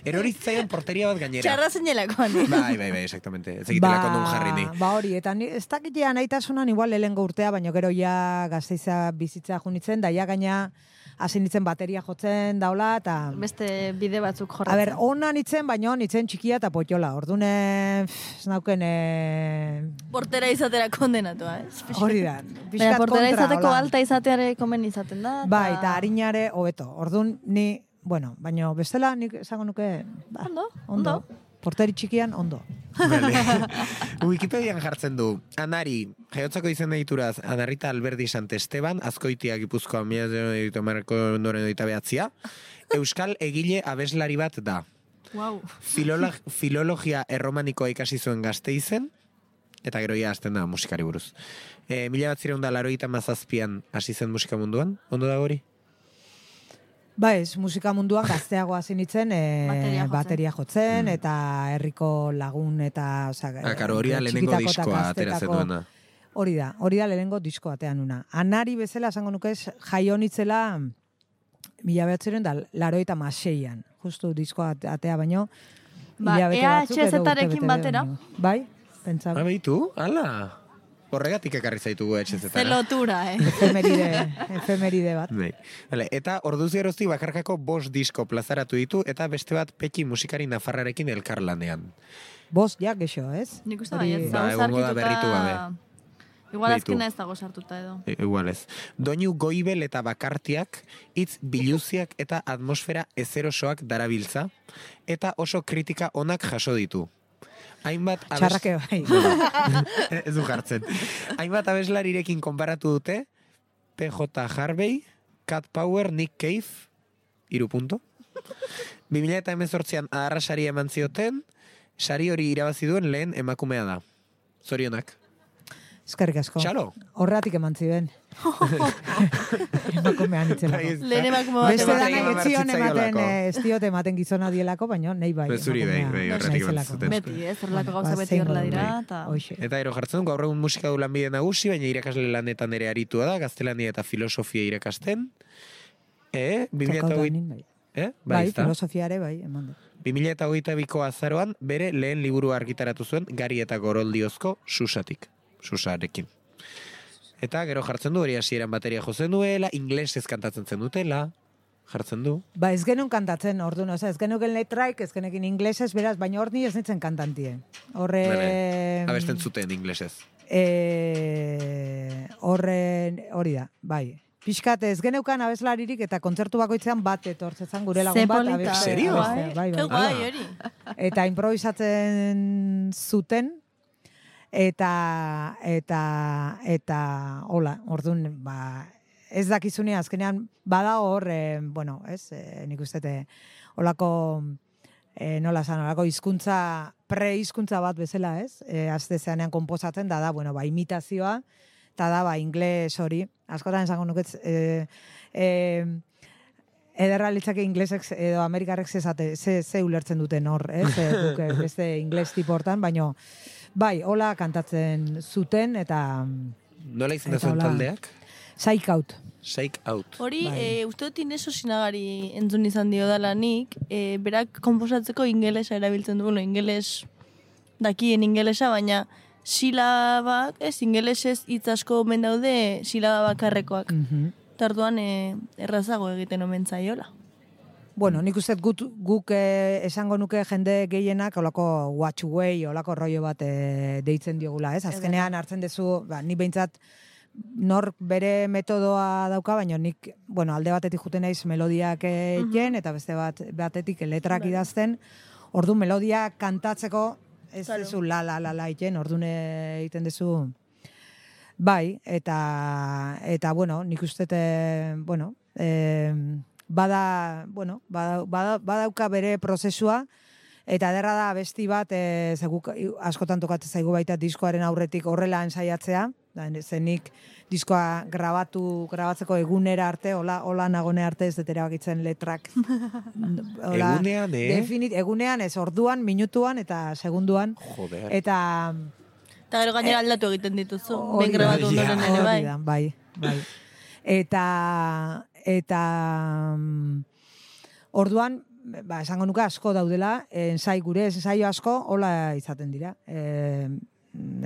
Erori zitzaidan porteria bat gainera. Txarra zinelakoan. Bai, bai, bai, exactamente. Ez egitelako non jarri ni. Ba hori, eta ni, ez dakitea nahitasunan igual lehengo urtea, baina gero ja gazteiza bizitza junitzen, da ja gaina hasi nitzen bateria jotzen daula, eta... Beste bide batzuk jorratzen. A ber, ona nitzen, baina nitzen txikia eta potiola. Ordune, ez nauken... E... Portera izatera kondenatua, ez? Hori da. Baina pixkat portera kontra, izateko hola. alta izateare komen izaten da. Bai, eta harinare hobeto. Ordun ni, bueno, baina bestela nik esango nuke... Ba, Ondo, ondo. ondo. Porteri txikian, ondo. Vale. Wikipedian jartzen du, Anari, jaiotzako izen edituraz, Anarrita Alberdi Santesteban, Azkoitia Gipuzkoa mila editu marko ondoren edita behatzia, Euskal egile abeslari bat da. Wow. Filolog, filologia erromanikoa ikasi zuen Gasteizen, eta gero ja hasten da musikari buruz. E, mila bat zireun da laroita mazazpian hasi zen musika munduan, ondo da hori? Ba ez, musika munduan gazteago hasi nintzen e, Bateria jotzen. bateria jotzen, eta herriko lagun, eta... Oza, Ah, karo, hori da lehenengo txikitako eta diskoa ateratzen gaztetako- duena. Hori da, hori da lehenengo disko atean una. Anari bezala, esango nuke, jaionitzela mila behatzeren da laroita maseian. Justu diskoa atea baino. Ba, hilabete batzuk edo EHZ-arekin urtebete batera? baino. Bai, pentsa. Ah, behitu? Ala! Horregatik ekarri zaitugu etxezetara. Ze lotura, eh? Efemeride, efemeride bat. Bai. Vale, eta orduz geroztik bakarkako bost disko plazaratu ditu, eta beste bat Peki musikari nafarrarekin elkarlanean. Bost, ja, gexo, ez? Nik uste Hori- bai, ez Ba, dago egongo da sarkituta... berritu gabe. Igual Beitu. azkena ez dago sartuta edo. E, igual ez. Doinu goibel eta bakartiak, hitz biluziak eta atmosfera ezerosoak darabiltza, eta oso kritika onak jaso ditu. Hainbat abes- Txarrake bai. ez du jartzen. Hainbat abeslarirekin konparatu dute, P J Harvey, Cat Power, Nick Cave, iru punto. bi mila hemezortzian adarra sari eman zioten, sari hori irabazi duen lehen emakumea da. Zorionak. Eskerrik asko. Txalo. Horregatik eman ziren. Emakumean itzelako. Bai, ez- Lehen emakume bat Beste Ematen danak eman etzion zitzaiolako. ematen, eh, ez diot ematen gizona dielako, baina nahi bai. Zuri bai, emakumea bai, horregatik eman naizelako. zuten. Beti, ez? Horrelako gauza Ba, beti zein horrela modu, dira, bai. eta... Hoxe. Eta ero jartzen du, gaur egun musika du lanbide nagusi, baina irakasle lanetan ere aritua da, gaztelania eta filosofia irakasten. E, bi mila Kakao hogei- danin, bai. eh? Bai, Bai, ezta? filosofiare, bai, eman du. bi mila hogeita biko azaroan, bere lehen liburu argitaratu zuen, Gari eta Goroldiozko Susatik. Susarekin. Eta gero jartzen du, hori hasieran bateria jozen duela, inglesez kantatzen zen dutela, jartzen du. Ba, ez genuen kantatzen, orduan, oza, ez genuken letraik, ez genekin inglesez, beraz, baina hor ni ez nintzen kantantie. Horre... Bale, abesten zuten inglesez. E, horren, hori da, bai. Piskat ez geneukan abeslaririk eta kontzertu bakoitzean bat etortzezan gure lagun Ze bat. polita. abestea, Serio? abestea, Bai, Ke bai, guai, Ala. hori. Eta improvisatzen zuten, eta, eta, eta, hola, orduan, ba, ez dakizunean, azkenean, bada hor, eh, bueno, ez, eh, nik uste, te, holako, eh, nola zan, holako hizkuntza pre-hizkuntza bat bezala, ez, eh, azte zeanean konposatzen, da da, bueno, ba, imitazioa, eta da, ba, ingles hori, askotan esango nuketz, eh, eh, ederra litzake inglesek edo amerikarrek ze, zate, ze, ze ulertzen duten hor, ez? E, guk, eh, beste ingles tipo hortan, baino, bai, hola kantatzen zuten, eta... Nola izan da Eta zuen hola. taldeak? Psych Out. Shake Out. Hori, Bai. e, uste dut Ineso Sinagari entzun izan dio dala nik, e, berak konposatzeko ingelesa erabiltzen du, bueno, ingeles dakien ingelesa, baina silabak, ez, ingelesez hitz asko omen daude silaba bakarrekoak. Mhm. Tarduan e, errazago egiten omen zaiola. Bueno, nik uste guk, guk eh, esango nuke jende gehienak olako watch way, olako rollo bat eh, deitzen diogula, ez? Azkenean hartzen duzu, ba, ni behintzat nork bere metodoa dauka, baina nik, bueno, alde batetik juten naiz melodiak egiten, eta beste bat batetik letrak Bai. idazten, ordu melodia kantatzeko ez Claro. duzu la la la la egiten, orduan egiten duzu bai, eta eta bueno, nik uste te, bueno, eh, bada, bueno, bada, bada, badauka bere prozesua, eta ederra da besti bat, e, zeguk askotan tokatzen zaigu baita diskoaren aurretik horrela ensaiatzea, da, zenik diskoa grabatu, grabatzeko egunera arte, hola, hola nagone arte ez dut erabakitzen letrak. Hola, Egunean, eh? Definit, egunean, ez orduan, minutuan eta segunduan. Joder. Eta Eta gero gainera aldatu egiten dituzu, hori ben da, grabatu ondoren ere, hori bai. da, bai, bai. Eta, eta mm, orduan, ba, esango nuke asko daudela, ensai gure ensaio asko hola izaten dira, e,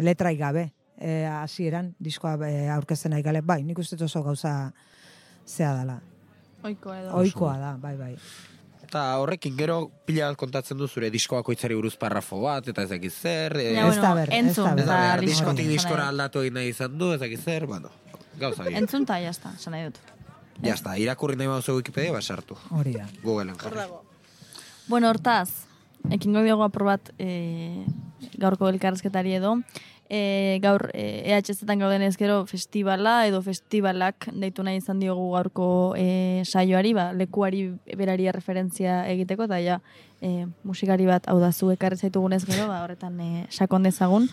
letrai gabe, e, hasieran diskoa e, aurkezten nahi gale, bai, nik uste oso gauza zea dela. Oikoa edo. Ohikoa da, bai, bai. Eta horrekin gero pila bat kontatzen du zure diskoako itzari buruz parrafo bat, eta ez dakiz zer. E, Ja, Ez da ber, ez entzun, da ber. ez da eta behar, listo, diskotik esan diskora nahi dut. aldatu egin nahi izan du, ez dakiz zer, bueno, gauza bien. Entzun eta jazta, esan nahi dut. Ya está, irakurri nahi bauzu Wikipedia, basartu. Hori da. Googleen jarri. Bueno, hortaz, ekingo diogu aprobat e, gaurko elkarrezketari edo, e, gaur e, E H Z-etan gaudenez gero festivala edo festivalak deitu nahi izan diogu gaurko e, saioari, ba, lekuari berari referentzia egiteko, eta ja, e, musikari bat hau da zu ekarri zaitugunez gero, ba, horretan e, sakon dezagun.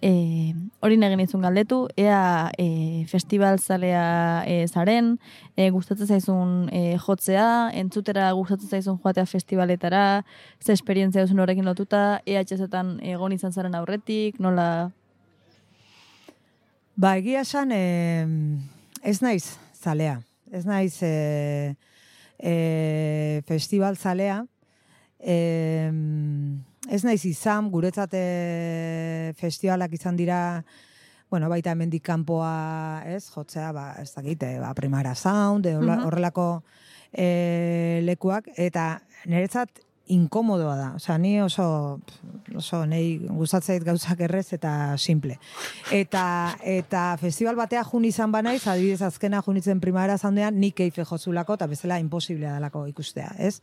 E, hori egin izun galdetu, ea e, festival zalea e, zaren, e, gustatzen zaizun e, jotzea, entzutera gustatzen zaizun joatea festivaletara, ze esperientzia duzun horrekin lotuta, E H Z-etan egon izan zaren aurretik, nola... Ba, egia esan, eh, ez naiz zalea. Ez naiz eh, eh, festival zalea. Eh, ez naiz izan, guretzat eh, festivalak izan dira, bueno, baita hemendik kanpoa, ez, jotzea, ba, ez dakit, eh, ba, Primera Sound, eh, horla- Mhm. horrelako eh, lekuak, eta niretzat inkomodoa da. Osea, ni oso, oso nei gustatzait gauzak errez eta simple. Eta eta festival batea jun izan banaiz, adibidez azkena junitzen Primavera Soundean, nik keife jozulako eta bezala imposiblea dalako ikustea, ez?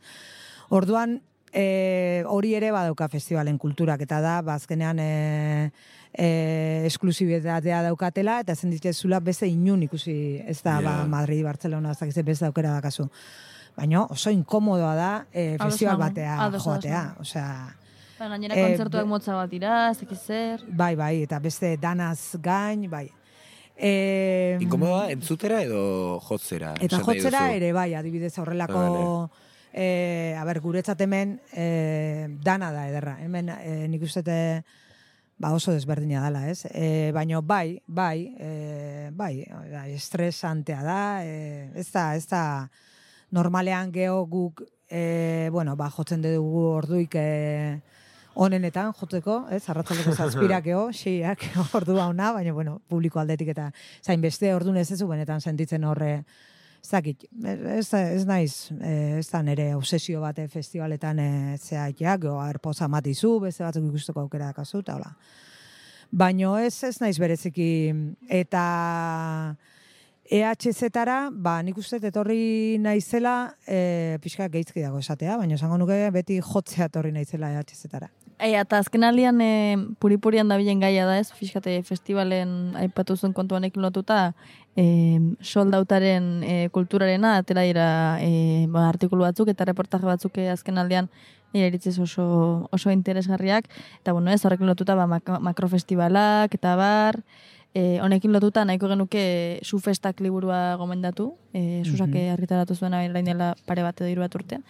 Orduan, e, hori ere badauka festivalen kulturak, eta da, ba, azkenean e, e, esklusibitatea daukatela, eta zen ditezula beste inun ikusi, ez da, Ja. ba, Madrid, Barcelona, ez dakize beste aukera dakazu. Baina oso inkomodoa da e, Ados festival nago, batea ados, ados joatea. nago. Osea, Ba, gainera Eh, kontzertuak be- motza bat dira, ez dakiz zer... bai, bai, eta beste danaz gain, bai. E, Inkomodoa entzutera edo jotzera? Eta esan nahi jotzera duzu? ere bai, adibidez horrelako... E, a ber, guretzat hemen e, dana da ederra. Hemen e, nik uste ba oso desberdina dela, ez? E, baina bai, bai, e, bai, bai, estresantea da, e, ez da, ez da normalean geho guk, e, bueno, ba, jotzen dugu orduik e, onenetan jotzeko, ez? Arratzaldeko zazpirak geho, xeiak ordua ona, baina, bueno, publiko aldetik eta zain beste ordun ez ezu benetan sentitzen horre, ez dakit, ez, ez naiz, e, ez da nire obsesio bate festivaletan e, zeaiak, geho, arpoza matizu, beste batzuk ikusteko aukera dakazu, eta hola. Baina ez, ez naiz bereziki, eta... E H Z-tara, ba, nik uste etorri naizela, e, pixka gehitzki dago esatea, baina esango nuke beti jotzea etorri naizela E H Z-tara. Ei, eta azken aldian e, puripurian dabilen gaia da ez, fiskate festivalen aipatu zuen kontuanekin lotuta, e, soldautaren e, kulturarena, atera dira e, ba, artikulu batzuk eta reportaje batzuk e, azken aldian nire iritziz oso, oso interesgarriak, eta bueno, ez horrekin lotuta ba, mak makrofestivalak eta bar, E, honekin lotuta nahiko genuke Su Festak liburua gomendatu, e, Susak Mhm. argitaratu zuena orain dela pare bat edo hiru bat urte.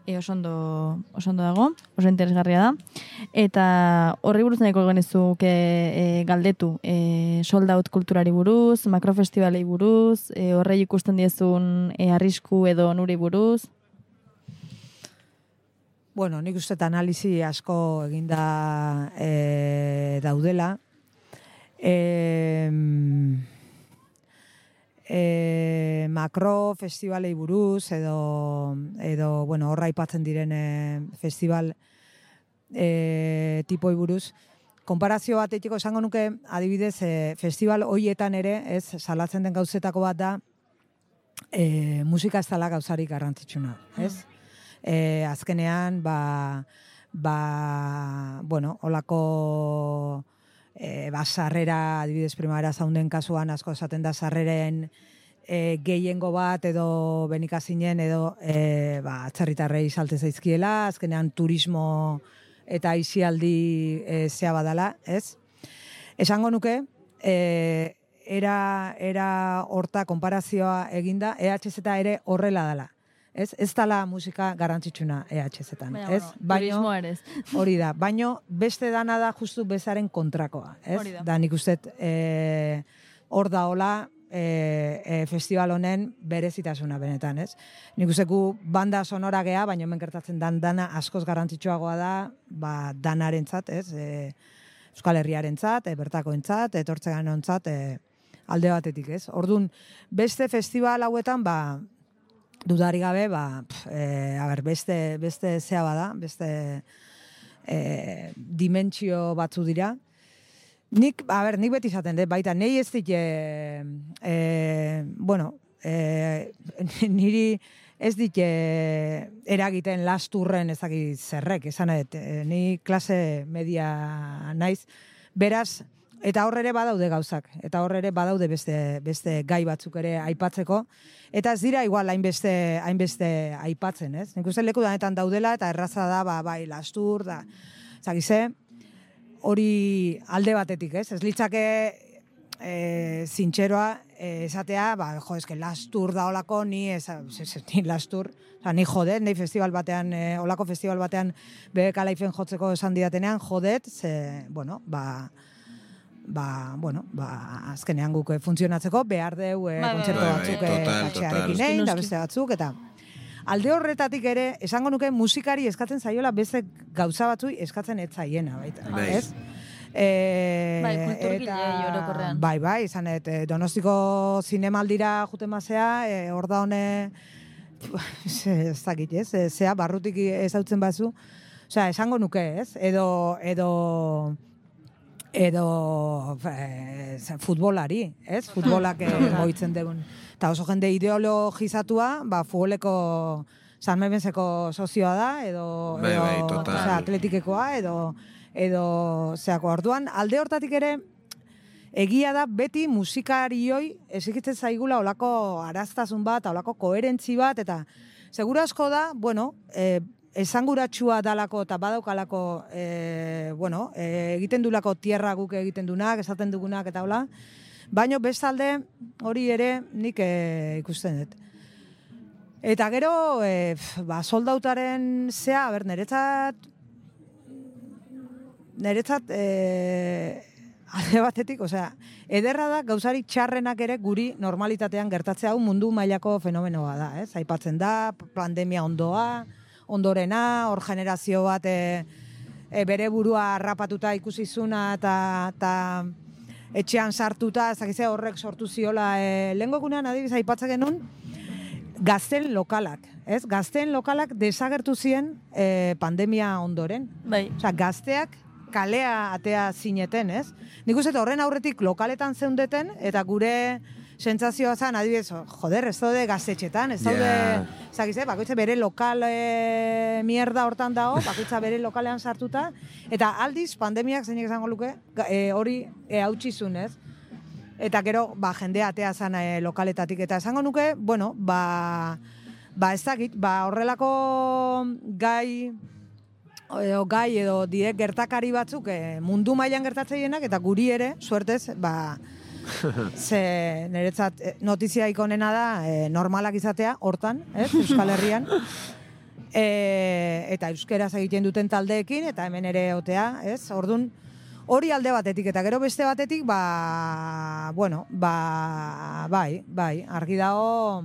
E, oso ondo, oso ondo dago, oso interesgarria da. Eta horri buruz nahiko genizuke e, galdetu, e, sold out kulturari buruz, makrofestivalei buruz, e, horrei ikusten diezun e, arrisku edo nuri buruz. Bueno, nik uste analizi asko eginda e, daudela. E, e, makro festivalei buruz edo, edo bueno, horra aipatzen diren e, festival e, tipoi buruz. Konparazio bat eitiko esango nuke, adibidez, e, festival hoietan ere, ez, salatzen den gauzetako bat da, e, musika ez dela gauzarik garrantzitsuna, ez? E, azkenean, ba, ba, bueno, olako e, ba, sarrera, adibidez, Primavera Sounden kasuan, asko esaten da sarreren e, gehiengo bat edo benikazinen edo e, ba, atzerritarrei salte zaizkiela, azkenean turismo eta aisialdi e, zea badala, ez? Esango nuke, e, era, era horta konparazioa eginda, E H Z ere horrela dela. Ez, ez dala musika garrantzitsuna E H Z-tan, ez? Bueno, turismo ere ez. Hori da, baino beste dana da justu bezaren kontrakoa, ez? Hori da. Da nik uste e, hor da hola e, e, festival honen berezitasuna benetan, ez? Nik uste gu banda sonora gea, baino hemen gertatzen dan dana askoz garrantzitsuagoa da, ba, danarentzat, ez? E, Euskal Herriarentzat, e, bertakoentzat, etortzeganontzat, e, alde batetik, ez? Ordun beste festival hauetan, ba, dudari gabe, ba, pf, e, a ber, beste, beste zea bada, beste e, dimentsio batzu dira. Nik, a ber, nik beti izaten, de, baita, nei ez dit, e, e, bueno, e, niri ez dit e, eragiten lasturren ezagit zerrek, esan edo, e, ni klase media naiz, beraz, eta hor ere badaude gauzak, eta hor ere badaude beste, beste gai batzuk ere aipatzeko, eta ez dira igual hainbeste, hainbeste aipatzen, ez? Nik uste leku danetan daudela, eta erraza da, ba, bai, lastur, da, zagize, hori alde batetik, ez? Ez litzake e, zintxeroa e, esatea, ba, jo, eske lastur da olako, ni, ez, ez, ez, ni lastur, oza, ni jodet, ni festival batean, e, olako festival batean, B B K Lifeen jotzeko esan didatenean, jodet, ze, bueno, ba, ba, bueno, ba, azkenean guk funtzionatzeko behar deu e, Bai, bai, kontzertu bai, bai, batzuk total, e, katxearekin total. egin, da Noski. beste batzuk, eta alde horretatik ere, esango nuke musikari eskatzen zaiola beste gauza batzui eskatzen ez zaiena, baita, Bai. ez? E, Bai, kulturgileei orokorrean. Bai, bai, izan et, e, Donostiko zinemaldira juten mazea, e, hor da hone, ez dakit, ez? E, zea, barrutik ezautzen bazu, osea, esango nuke, ez? Edo, edo, edo e, futbolari, ez? Futbolak e, moitzen dugun. Eta oso jende ideologizatua, ba, futboleko San Memenseko sozioa da, edo, Bai, edo bai, total. osea, atletikekoa, edo, edo zeako. Orduan, alde hortatik ere, egia da beti musikarioi ezikitzen zaigula olako araztasun bat, olako koherentzi bat, eta segura asko da, bueno, e, esanguratsua dalako eta badaukalako, e, bueno, e, egiten dulako tierra guk egiten dunak, esaten dugunak eta hola, baino bestalde hori ere nik e, ikusten dut. Eta gero, e, ba, soldautaren zea, ber, niretzat, niretzat, e, alde batetik, osea, ederra da gauzarik txarrenak ere guri normalitatean gertatzea hau mundu mailako fenomenoa da, ez? Aipatzen da, pandemia ondoa, ondorena, hor generazio bat e, e, bere burua harrapatuta ikusi zuna eta, eta etxean sartuta, ezakize horrek sortu ziola, e, lehenko egunean adibidez aipatzen genuen, gazten lokalak, ez? Gazten lokalak desagertu ziren e, pandemia ondoren. Bai. Osea, gazteak kalea atea zineten, ez? Nik uste horren aurretik lokaletan zeundeten, eta gure sentsazioa zen, adibidez, joder, ez daude gaztetxetan, ez daude, Ja. zagize, bakoitza bere lokal e, mierda hortan dago, bakoitza bere lokalean sartuta, eta aldiz, pandemiak zeinek esango luke, e, hori e, hautsizun, ez? Eta gero, ba, jendea atea zen e, lokaletatik, eta esango nuke, bueno, ba, ba ez dakit, ba, horrelako gai, edo gai edo direk gertakari batzuk e, mundu mailan gertatzeienak eta guri ere, suertez, ba, Ze niretzat notizia ikonena da e, normalak izatea, hortan, ez, Euskal Herrian. E, eta euskeraz egiten duten taldeekin, eta hemen ere otea, ez? Ordun hori alde batetik, eta gero beste batetik, ba, bueno, ba, bai, bai, argi dago,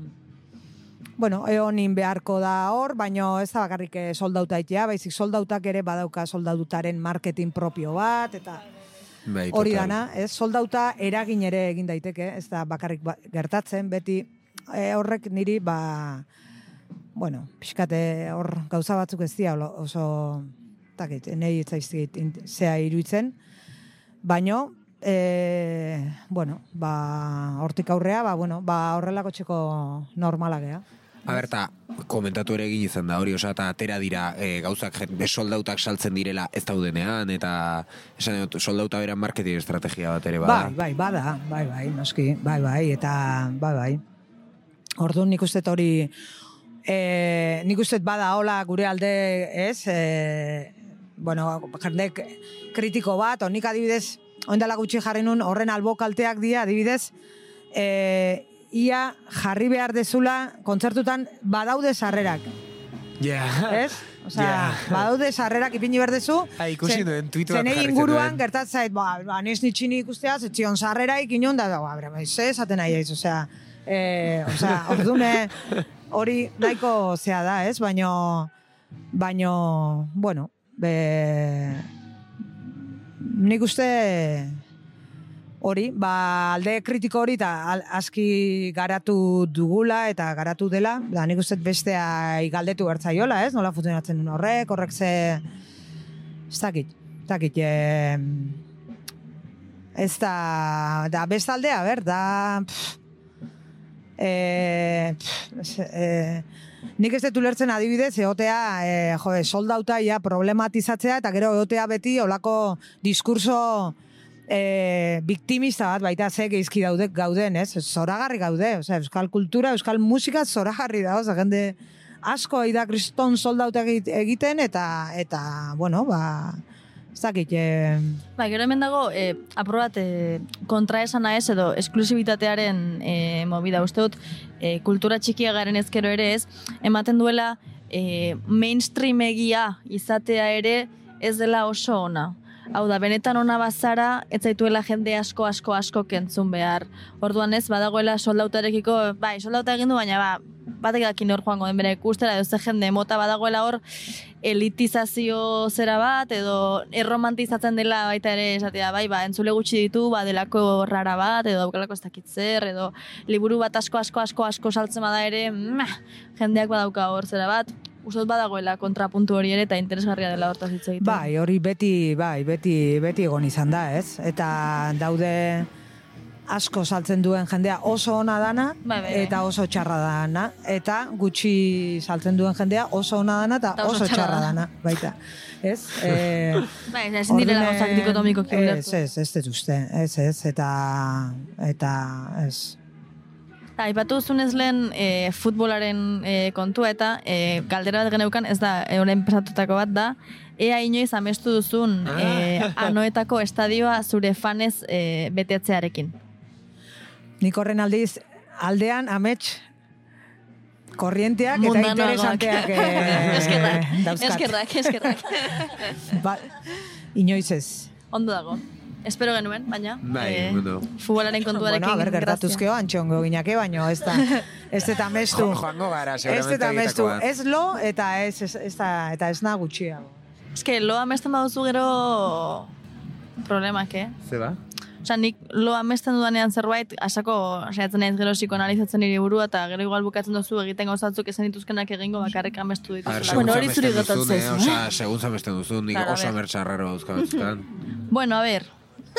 bueno, eonin beharko da hor, baino ez da bakarrik soldauta itea, baizik soldautak ere badauka soldautaren marketing propio bat, eta bai, hori total. dana, ez, soldauta eragin ere egin daiteke, ez da bakarrik ba, gertatzen, beti e, horrek niri, ba, bueno, pixkate hor gauza batzuk ez dira oso, takit, nahi etzaizkit zea iruditzen, baino, e, bueno, ba, hortik aurrea, ba, bueno, ba, horrelako txeko normalagea. A ber, ta, komentatu ere egin izan da hori, osa, eta atera dira e, gauzak jen- soldautak saltzen direla ez daudenean, eta esan dut, soldauta beran marketing estrategia bat ere bada. Bai, bai, bada, bai, bai, noski, bai, bai, eta bai, bai. Orduan nik uste hori, e, nik uste bada hola gure alde, ez, e, bueno, jendek kritiko bat, onik adibidez, ondala gutxi jarri nun, horren albokalteak dira, adibidez, e, ia jarri behar dezula kontzertutan badaude sarrerak, Ja. ez? Osea, badaude sarrerak ipini behar dezu. Ah, ikusi Ze- nuen, tweet bat zenei jarri inguruan zenuen. gertatzait, ba, ba nes nitxini ikustea, zetzion sarreraik inon da, ba, bera, ze esaten nahi aiz, osea, e, osea, ordune hori nahiko zea da, ez? Baino, baino, bueno, be, nik uste hori, ba, alde kritiko hori eta al- aski garatu dugula eta garatu dela, da nik uste bestea galdetu bertzaiola, ez? Nola funtzionatzen duen horrek, horrek ze... Ez dakit, ez dakit, e, ez da, da bestaldea, ber, da... Pff, e, pff, e, nik ez dut ulertzen adibidez, egotea, e, jo, soldauta ja problematizatzea, eta gero egotea beti olako diskurso e, biktimista bat baita ze geizki daude gauden, ez? Zoragarri gaude, osea, euskal kultura, euskal musika zoragarri da, osea, jende asko da kriston soldauta egiten, eta, eta bueno, ba, ez dakit, e, Ba, gero hemen dago, e, aprobat, e, kontraesana ez edo esklusibitatearen e, movida. Uste dut, e, kultura txikia garen ezkero ere ez, ematen duela e, mainstream egia izatea ere ez dela oso ona. Hau da, benetan ona bazara, ez zaituela jende asko, asko, asko kentzun behar. Orduan ez, badagoela soldautarekiko, bai, soldauta egin du, baina ba, batek dakin hor joango den bere ikustera, edo ze jende mota badagoela hor elitizazio zera bat, edo erromantizatzen dela baita ere esatea, bai, ba, entzule gutxi ditu, ba, delako rara bat, edo daukalako ez dakit zer, edo liburu bat asko, asko, asko, asko saltzen bada ere, meh, jendeak badauka hor zera bat, uste badagoela kontrapuntu hori ere eta interesgarria dela hortaz hitz egiten. bai, hori beti, bai, beti, beti egon izan da, ez? Eta daude asko saltzen duen jendea oso ona dana, Bai, bai, bai. eta oso txarra dana, eta gutxi saltzen duen jendea oso ona dana eta Eta oso oso txarra txarra dana. dana, baita. Ez? E, Bai, ezin direla ordune- gauzak dikotomikoki Ez, ulertu. ez, ez dut uste, ez, ez, eta, eta, ez. Ta, aipatu duzunez lehen e, futbolaren e, kontua eta e, galdera bat geneukan, ez da, e, orain pasatutako bat da, ea inoiz amestu duzun e, anoetako estadioa zure fanez e, betetzearekin. Nik horren aldiz, aldean amets korrienteak eta Mundanoagoak. interesanteak eh, Eskerrak, dauzkat. eskerrak, eskerrak. Ba, inoiz ez. Ondo dago. Espero genuen, baina. Bai, e, bueno. Futbolaren kontuarekin. Bueno, a ber, gertatuzkeo antxongo ginake, baino ez da, ez eta mestu. Jo- joango gara, Ez seguramente eta mestu, egitakoa. ez lo, eta ez, ez, ez da, eta ez na gutxiago. Ez que lo amesten baduzu gero problemak, eh? Ze ba? Osa, nik lo amesten dudanean zerbait, asako saiatzen naiz gero psikoanalizatzen nire burua, eta gero igual bukatzen duzu egiten gauzatzuk ezen dituzkenak egingo bakarrik amestu A ver, dituzula. segun Bueno, hori zamesten zuri duzun, gertatzen eh? zaizu. Osea, segun zamesten duzun, nik Claro, a oso ver. amertxarraro dauzka batzkan. Bueno, a ver,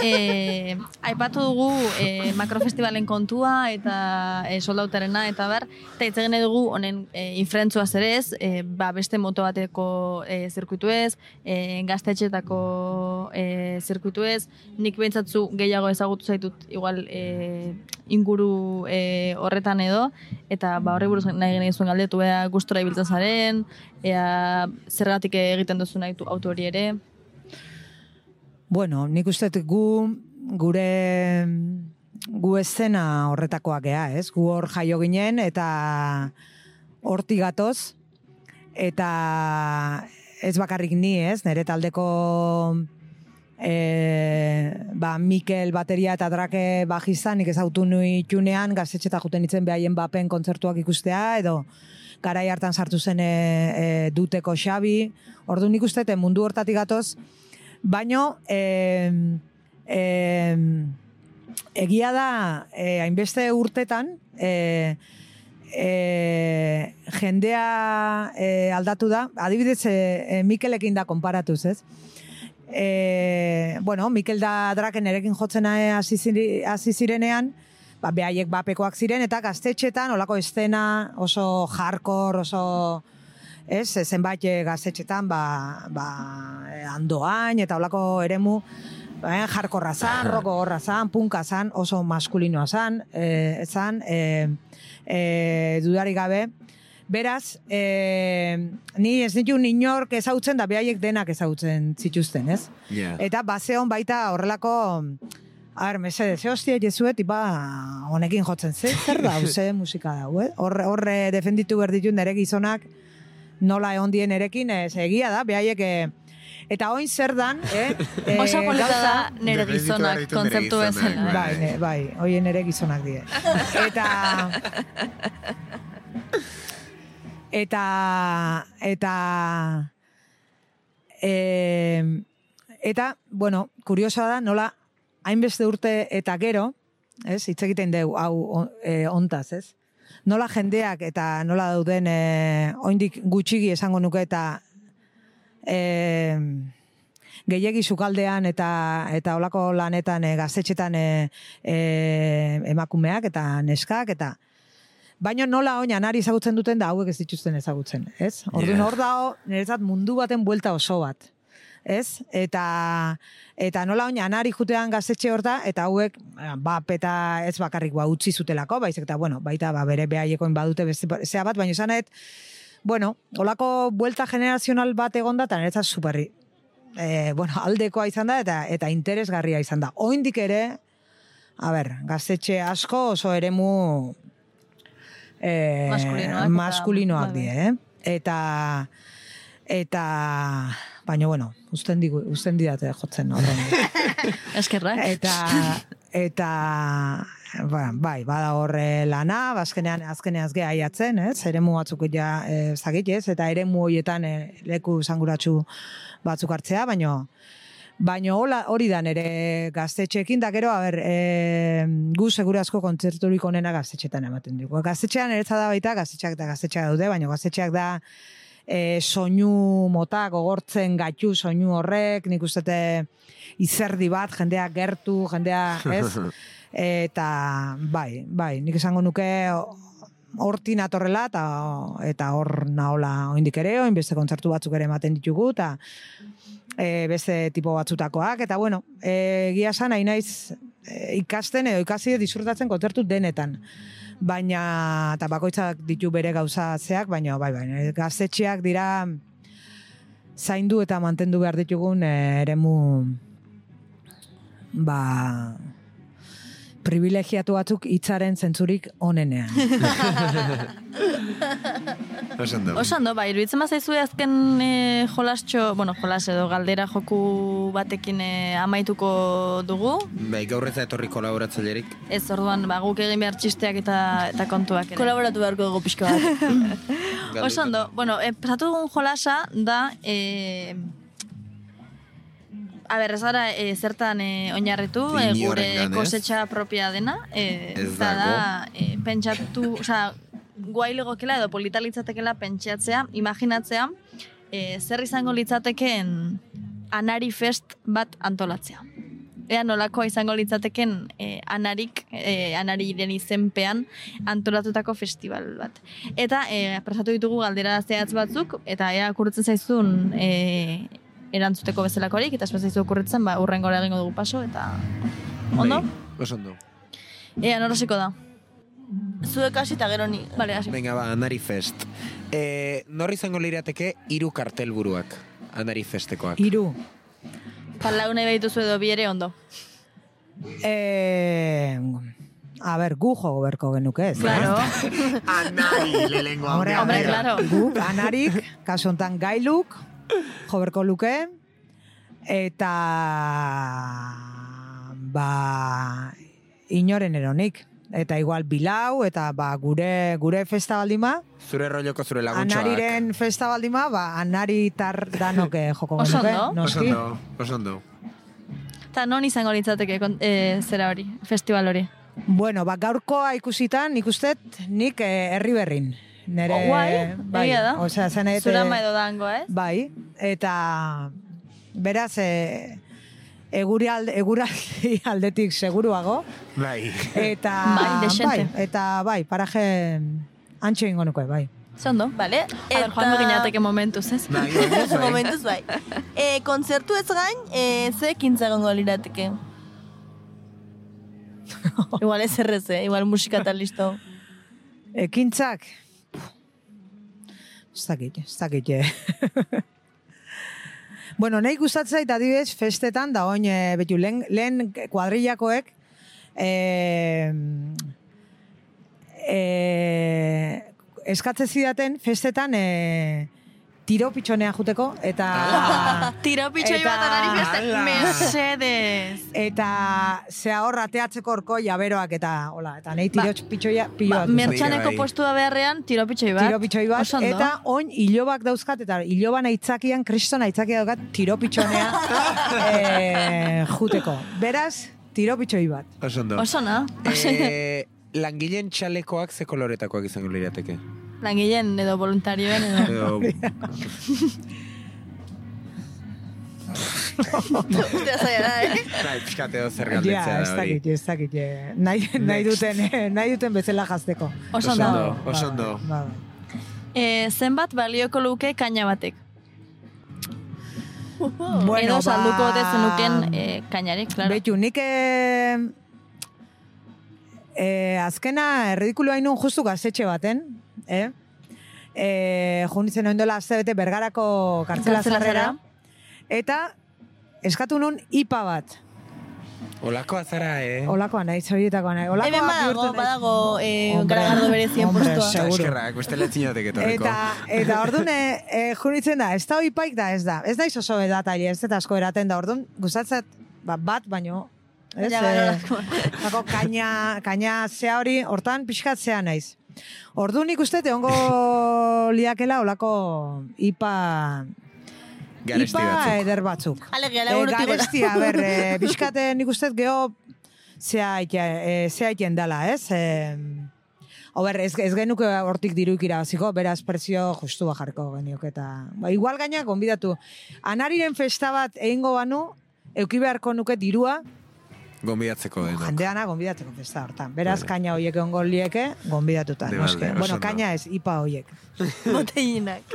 eh, aipatu dugu eh, makrofestivalen kontua eta eh, soldautarena eta bar, eta hitz egin nahi dugu honen eh, infrentzua zerez, eh, ba, beste moto bateko eh, zirkuitu ez, eh, gaztetxetako eh, zirkuitu ez, nik behintzatzu gehiago ezagutu zaitut igual eh, inguru eh, horretan edo, eta ba, horri buruz nahi gene zuen galdetu, ea gustora ibiltzen zaren, ea zergatik egiten duzu nahi auto hori ere. Bueno, nik uste dut gu, gure gu eszena horretakoak gea, ez? Gu hor jaio ginen eta hortik gatoz, eta ez bakarrik ni, ez? Nere taldeko e, ba, Mikel bateria eta Drake bajista, nik ezautu nui txunean, gaztetxeta juten itzen behaien bapen kontzertuak ikustea, edo garai hartan sartu zen e, e, Duteko Xabi, ordu nik uste, mundu hortatik gatoz, baino, e, e, egia da, e, hainbeste urtetan, e, e, jendea e, aldatu da, adibidez, e, e, Mikelekin da konparatuz, ez? E, bueno, Mikel da Draken erekin jotzen hasi zirenean, ba, behaiek bapekoak ziren, eta gaztetxetan, olako estena oso hardcore, oso, ez, zenbait gaztetxetan, ba, ba, Andoain, eta olako eremu, ba, hardcorra zan, roko gorra zan, punka zan, oso maskulinoa zan, e, zan, e, e, dudarik gabe. Beraz, e, ni ez nitu inork ezautzen, da behaiek denak ezautzen zituzten, ez? Yeah. Eta bazeon baita horrelako, a ber, mesedez, ze hostia jezuet, ipa honekin jotzen, ze, zer da, ze musika da, eh? Horre, horre defenditu berditun nere gizonak, nola egon dien erekin, ez egia da, behaiek, e, eta oin zer dan, eh? E, Oso polita gauza- da nere gizonak kontzeptu bezala. Bai, ne, bai, hoien ere gizonak die. Eta... Eta... Eta... E, eta, bueno, kuriosa da, nola, hainbeste urte eta gero, ez, hitz egiten deu, hau e, ontaz, ez? Nola jendeak eta nola dauden e, oindik gutxigi esango nuke eta e, gehiegi sukaldean eta eta olako lanetan e, gaztetxetan e, e, emakumeak eta neskak eta baina nola oin anari ezagutzen duten da hauek ez dituzten ezagutzen, ez? Orduan Yeah. hor dago niretzat mundu baten buelta oso bat, ez? Eta eta nola oin anari jutean gaztetxe hor da eta hauek bap eta ez bakarrik ba utzi zutelako, baizik eta bueno, baita ba bere behaiekoin badute beste zea bat, baina esanet bueno, olako buelta generazional bat egonda eta niretzat superri e, bueno, aldekoa izan da eta eta interesgarria izan da. Oindik ere, a ber, gaztetxe asko oso eremu eh, Maskulinoak eta- maskulinoak bai, die, eh? Eta eta baina bueno, usten digu, usten didate jotzen horren. Eskerrak. Eta eta ba, bai, bada horre lana, azkenean azkenean azgea aiatzen, ez? Eremu batzuk ja eh, zagit, ez? Eta eremu horietan eh, leku sanguratsu batzuk hartzea, baino baino hola hori da nere gaztetxeekin da gero, a ber, e, gu segurazko kontzerturik onena gaztetxetan ematen dugu. Gaztetxean eretza da baita, gaztetxeak eta gaztetxeak daude, baina gaztetxeak da e, soinu mota, gogortzen gaitu soinu horrek, nik ustete izerdi bat, jendea gertu, jendea, ez? Eta bai, bai, nik esango nuke hortin atorrela eta eta hor nahola oindik ere, oin beste kontzertu batzuk ere ematen ditugu, eta e, beste tipo batzutakoak, eta bueno, e, egia esan nahi naiz e, ikasten edo ikasi disfrutatzen kontzertu denetan. Baina, eta bakoitzak ditu bere gauza zeak, baina bai, bai, gaztetxeak dira zaindu eta mantendu behar ditugun e, eremu ba privilegiatu batzuk hitzaren zentzurik onenean. Oso ondo. Oso ondo, bai, iruditzen bazaizu azken e, jolastxo, bueno, jolas edo galdera joku batekin e, amaituko dugu. Bai, gaur ez da etorri kolaboratzailerik. Ez orduan, ba, guk egin behar txisteak eta, eta kontuak ere. Kolaboratu beharko dugu pixka bat. Oso ondo, bueno, e, pasatu dugun jolasa da... E, A ber, ez gara e, zertan e, oinarritu, e, gure Inorengan, ez? kosetxa propia dena, e, Ez eta da, dago. e, pentsatu, osea, guai legokela edo polita litzatekela pentsatzea, imaginatzea, e, zer izango litzatekeen Anari Fest bat antolatzea. Ea nolakoa izango litzateken e, Anarik, e, Anariren izenpean antolatutako festival bat. Eta e, prestatu ditugu galdera zehatz batzuk, eta ea kurritzen zaizun e, erantzuteko bezalakorik, eta espazaizu okurritzen, ba, urrengora egingo dugu paso, eta... Ondo? Bai, oso ondo. Ea, norasiko da. Zuek hasi eta gero ni. Bale, hasi. Venga, ba, Anari Fest. E, nor izango lirateke hiru kartelburuak Anari Festekoak? Hiru. Palau nahi behituzu edo bi ere ondo. E, a ber, gu jogo berko genuke ez. Claro. Anari, lehengo Hombre, Hombre, a ver, claro. Guk, anarik, kasu hontan gailuk, jo berko luke, eta ba inoren eronik. Eta igual bilau, eta ba gure gure festa baldima, Zure rolloko zure laguntxoak. anariren festa baldima, ba anari tar danok eh, joko Oso genuke, ondo. Oso noski. ondo, oso ondo. Eta non izango litzateke kon- eh, zera hori, festival hori? Bueno, ba gaurkoa ikusitan, ikustet nik eh, herri berrin. Nere, Oh, guai, egia da. Osea, zen nahi dut, Zurama edo dango, ez? Bai, eta beraz, e, eguri alde, eguraldi aldetik seguruago, Bai. eta Bai, dexente. bai, eta bai, paraje antxo ingo nuke, bai. Zondo? Vale? A ber, joan beginateke momentuz, ez? Bai, momentuz, bai. Momentuz bai. E, kontzertu ez gain, e, ze ekintza egongo lirateke? Igual ez errez, eh? Igual musika eta listo. Ekintzak, ez dakit, ez dakit. eh. Bueno, nahi gustatzen zait adibidez festetan da oin e, betu lehen, lehen kuadrillakoek e, e, eskatze zidaten festetan e, tiro pitxonea juteko eta Tiro pitxoi Eta- bat anari feste. Ala. Mesedez. eta zea hor ateatzeko orko jaberoak eta hola, eta nahi tiro Ba- pitxoia Ba, piloa. mertxaneko Bai. postua beharrean tiro pitxoi bat. Tiro pitxoi bat, Oso ondo. eta oin hilobak dauzkat, eta hiloban aitzakian, kriston aitzakia daukat, tiro pitxonea e, juteko. Beraz, tiro pitxoi bat. Oso ondo. Oso na. Eh, langileen txalekoak ze koloretakoak izango lirateke? Langileen edo voluntarioen edo... Edo, Ustea zaila da, eh? bai, pixkateo zer Ja, galdetzea ez da hori. dakit, ez dakit. eh, Nahi, nahi, duten, eh, nahi duten bezala jazteko. Oso Oso ondo. ondo. Oso ondo. Ba, ba. Eh, zenbat balioko luke kaina batek? Bueno, edo salduko ote ba- zenuken eh, kainarek, claro. Betu, nik eh, eh, azkena erridikulo hainun justu gaztetxe baten, eh? Eh, junitzen oin dola azte bete Bergarako kartzela Kartzela zarrera, zarrera. eta eskatu nun ipa bat. Olakoa zara, eh? Olakoa nahi, horietakoa nahi. Olakoa Hemen badago, bihurtu nahi. badago eh, Hombre, garagardo berezien hombre, postua. seguro. Eskerrak, beste letzinatek etorriko. Eta, eta orduan, e, e, junitzen da, ez da oipaik da, ez da. Ez da oso edataile, ez da asko eraten da. Orduan, gustatzat, ba, bat, baino, ez? Ja, eh, bai, Bako, kaina, kaina zea hori, hortan pixkat zea naiz. Orduan nik uste, egongo liakela olako ipa... Garesti ipa batzuk. eder batzuk. Alegia, Eh, laburutik gora. garestia, a ber, e, pixkate nik uste geho zea e, iten dela, ez? E, Ober, ez, ez genuke hortik diruik irabaziko, beraz prezio justua jarriko geniok eta... Ba, igual gaina, gonbidatu. Anariren festa bat egingo banu, euki beharko nuke dirua, Gonbidatzeko denok. jendeana gonbidatzeko festa hortan. Beraz, Vale. kaina hoiek egongo lieke, gonbidatuta. De noski. balde, oso Bueno, ondo. kaina ez, ipa hoiek. Botellinak.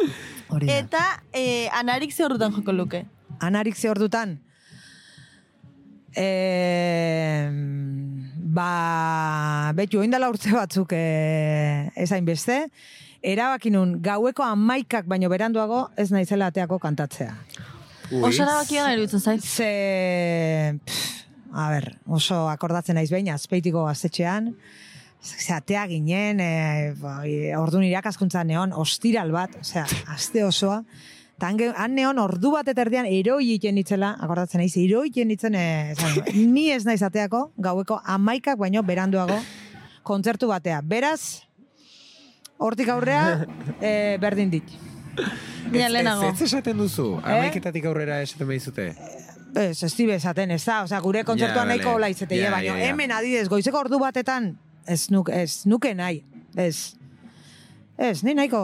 Hori da. Eta eh, anarik ze horretan joko luke? Anarik ze ordutan? E, ba, betu, oindala urte batzuk e, ezain beste, erabaki nun gaueko amaikak baino beranduago ez naizela ateako kantatzea. Ui. Oso erabakia gara iruditzen zait. Ze, pff, a ber, oso akordatzen naiz behin, azpeitiko gaztetxean, ze atea ginen, e, ba, e, orduan irakaskuntza neon, ostiral bat, osea, aste osoa, eta han, ge- han neon ordu bat eta erdian eroi iten nitzela, akordatzen naiz, eroi iten nitzen, e, esan, ni ez naiz ateako, gaueko amaikak baino beranduago, kontzertu batea. Beraz, hortik aurrea, e, berdin dit. Dina Ez- lehenago. Ez, ez esaten duzu. Eh? Amaiketatik aurrera esaten behizute. Ez, ez dibe esaten, ez da, osea, gure kontzertua Ja, nahiko bale. hola izate, Ja, baino, ja, ja. hemen adidez, goizeko ordu batetan, ez, nuk, ez nuke nahi, ez, ez, ni nahiko,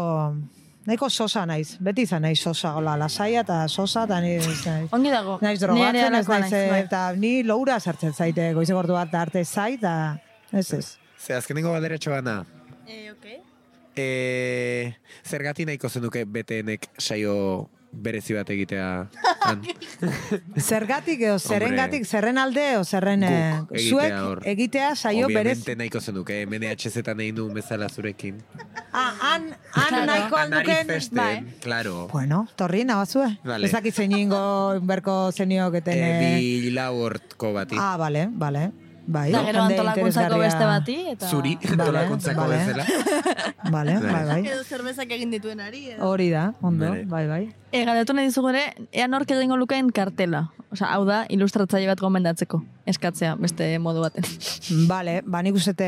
nahiko sosa naiz, beti izan naiz sosa, hola, lasaia eta sosa, eta ni ez naiz, Ongi dago. naiz Ni ere drogatzen, ez halakoa naiz, naiz, bai. eta ni loura sartzen zaite, goizeko ordu bat arte zait, eta ez ez. Ze, azkenengo balderetxo bana. Eh, okay. E, zergati nahiko zenuke B T Nek saio berezi bat egitea. Han. Zergatik, edo zerrengatik, zerren alde, o zerren, eh, Guk egitea zuek hor. egitea saio berez. Obviamente nahiko zenuke, M N H Z egin du bezala zurekin. Ah, han, han nahiko Anari alduken, festen, bai. claro. bueno, torri nabazue. Vale. Ez dakit zein ingo berko zenioketen. E, eh, bi lau hortko bati. Ah, bale, bale. bai. Da gero jende antolakuntzako interesgarria. beste bati. Eta... Zuri, antolakuntzako vale. bezala. Vale, bai, bai. Edo zerbezak egin dituen ari. Edo. Hori da, ondo, Bale. bai, bai. E, galdetu nahi dizugu ere, ea nork egingo lukeen kartela. Osa, hau da, ilustratzaile bat gomendatzeko. Eskatzea, beste modu baten. Bale, ba nik uste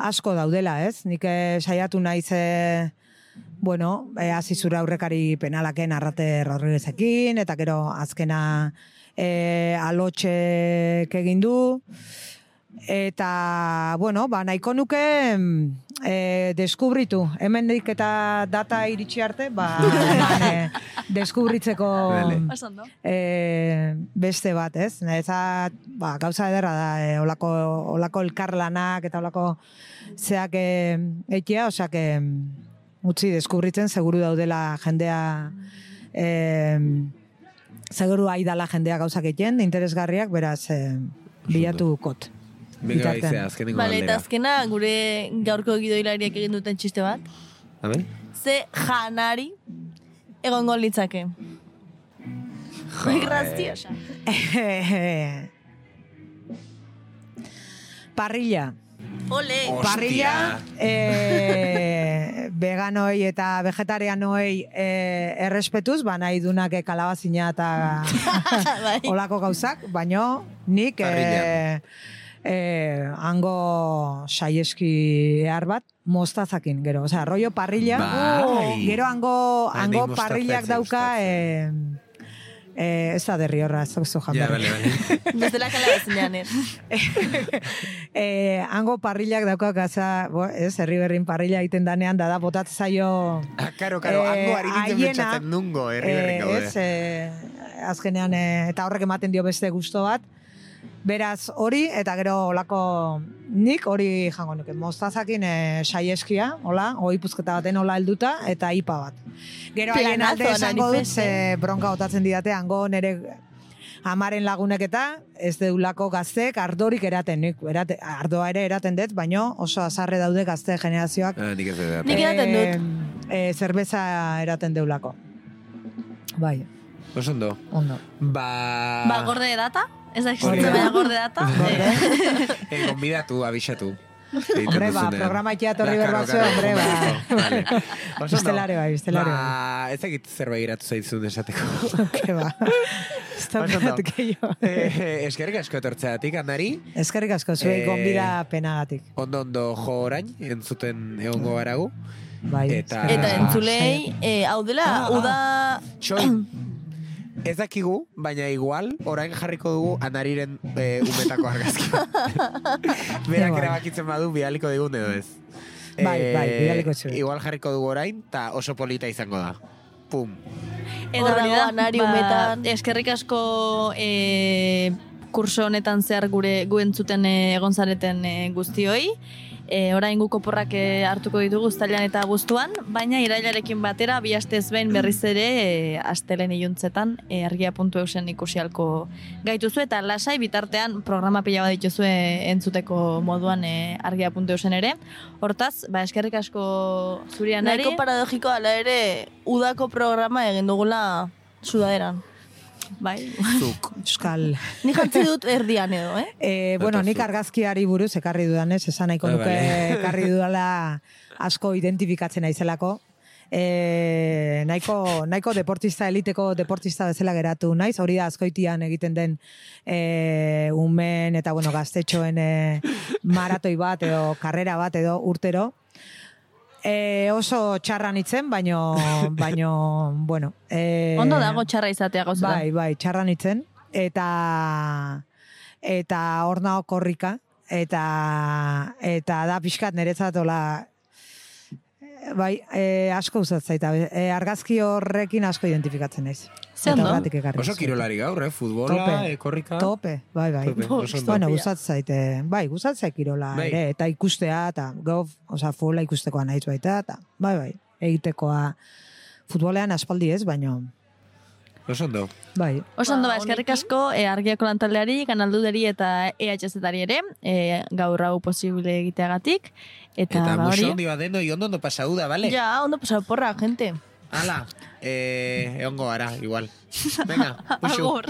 asko daudela, ez? Nik eh, saiatu naiz, eh, bueno, eh, hasi zure aurrekari penalaken Arrate Rodriguezekin, eta gero azkena eh, Alotxek egin du, eta, bueno, ba, nahiko nuke eh, deskubritu. Hemendik eta data iritsi arte, ba, eman, eh, deskubritzeko Oso eh, beste bat, ez? Eta, ba, gauza ederra da, eh, olako, olako elkarlanak eta olako zeak eh, eitea, osea, que utzi deskubritzen, seguru daudela jendea, eh, seguru aidala jendea gauzak egiten, interesgarriak, beraz, eh, bilatu kot. Venga, Bitartean. izea, azkenengo Bale, eta galdera. azkena gure gaurko gidoilariak egin duten txiste bat. A ver? Ze janari egongo litzake. Muy graciosa. Parrilla. Ole. Hostia. Parrilla, eh, veganoi eta vegetarianoi eh, errespetuz, ba nahi dunak eh, kalabazina eta Bai. olako gauzak, baino nik Parrilla. eh, eh, hango saieski ehar bat mostazakin, gero, osea, rollo parrilla, Bai. gero hango, Bai, hango nik mostaza parrillak ez dauka, gustatzen. eh, eh, ez da derri horra, ez zu Ja, janberri. bale, bale. Bestela kalabazinean, eh? eh, hango parrillak dauka gaza, bo, ez, herri berrin parrilla egiten danean, da da botatzen zaio Ah, karo, karo, Eh, hango ari nintzen haiena, pentsatzen nungo, herri berrin eh, gaude. ez, eh, azkenean, eh, eta horrek ematen dio beste gusto bat. Beraz, hori, eta gero olako nik hori jango nuke. Mostazakin eh, saieskia, hola, oipuzketa baten hola helduta, eta ipa bat. Gero haien Planazo, alde esango dut, manifeste. ze bronka otatzen didate, hango nere amaren lagunek eta ez deulako gaztek ardorik eraten, nik erate, ardoa ere eraten dut, baino oso azarre daude gazte generazioak Ah, nik ez dut. Nik eraten dut. eh, eh, zerbeza eraten deulako. Bai, Oso ondo. ondo. Ba... Ba, gorde data? Ez da Hori existitzen, da. baina gorde data. Eh, gonbidatu, abixatu. Egiten Hombre, ba, duzunean. programa etorri Ba, behar karo, batzue, karo, hombre, ba. vale. Oso ondo. Bestelare bai, bestelare Ba, ez egit zerbait iratu zaitzun esateko. Ke ba. Ez da Oso ondo. behatu gehiago. Eh, eskerrik asko etortzeatik, Andari. Eskerrik asko, zuei Eh, gonbida penagatik. Ondo ondo jo orain, entzuten egongo garagu. Bai. Eta- eskerrik Eta asko. entzulei, eh, hau dela, Ah, uda... Txoin, ez dakigu, baina igual, orain jarriko dugu Andariren eh, umetako argazki. Berak Bai. erabakitzen badu, bidaliko digun edo ez. Bai, bai, bidaliko zuen. Igual jarriko dugu orain, eta oso polita izango da. Pum. Eta Hor hori dago da, Anari ba, umetan. eskerrik asko e, kurso honetan zehar gure gu entzuten e, egon zareten e, guztioi. E, orain gu koporrak e, hartuko ditugu uztailean eta abuztuan, baina irailarekin batera bi astez behin berriz ere e, astelen iluntzetan e, argia puntu eusen ikusialko gaituzu eta lasai bitartean programa pila bat dituzue entzuteko moduan e, argia puntu eusen ere. Hortaz, ba, eskerrik asko zuri Anari. Nahiko paradogiko ala ere, udako programa egin dugula sudaderan. Bai. Zuk. Euskal. Ni jantzi dut erdian edo, eh? Eh, bueno, Eta nik zu. argazkiari buruz ekarri dudanez, esan nahiko Ah, nuke vale. ekarri dudala asko identifikatzen naizelako. Eh, nahiko, nahiko deportista, eliteko deportista bezala geratu naiz, hori da azkoitian egiten den eh, umen eta bueno, gaztetxoen eh, maratoi bat edo karrera bat edo urtero. Eh, oso txarra nitzen, baino, baino, bueno. Eh, Ondo dago txarra izatea gauzetan. Bai, bai, txarra nitzen. Eta, eta hor nao korrika. Eta, eta da pixkat niretzat hola, bai, e, asko uzatzaita. E, argazki horrekin asko identifikatzen naiz. Ze Eta ondo. horregatik ekarri Oso dizut. kirolari gaur, eh? Futbola, Tope. eh, korrika. Tope, bai, bai. Tope, oso ondo. Bueno, guzatzaite, bai, guzatzaite kirola Bai. ere, eta ikustea, eta gau, oza, futbola ikustekoa naiz baita, eta, bai, bai, egitekoa futbolean aspaldi ez, baino, Oso ondo. bai. Oso ondo, ba, Ba, eskerrik honekin. asko e, argiako lantaldeari, kanalduderi eta E H Z-ari ere, e, gaur hau posible egiteagatik. Eta, Eta ba, muso hori. ondi badeno, y ondo ondo pasauda, vale? Ja, ondo pasau porra, gente. Ala, eh, egongo gara, igual. Venga, musu. Agur.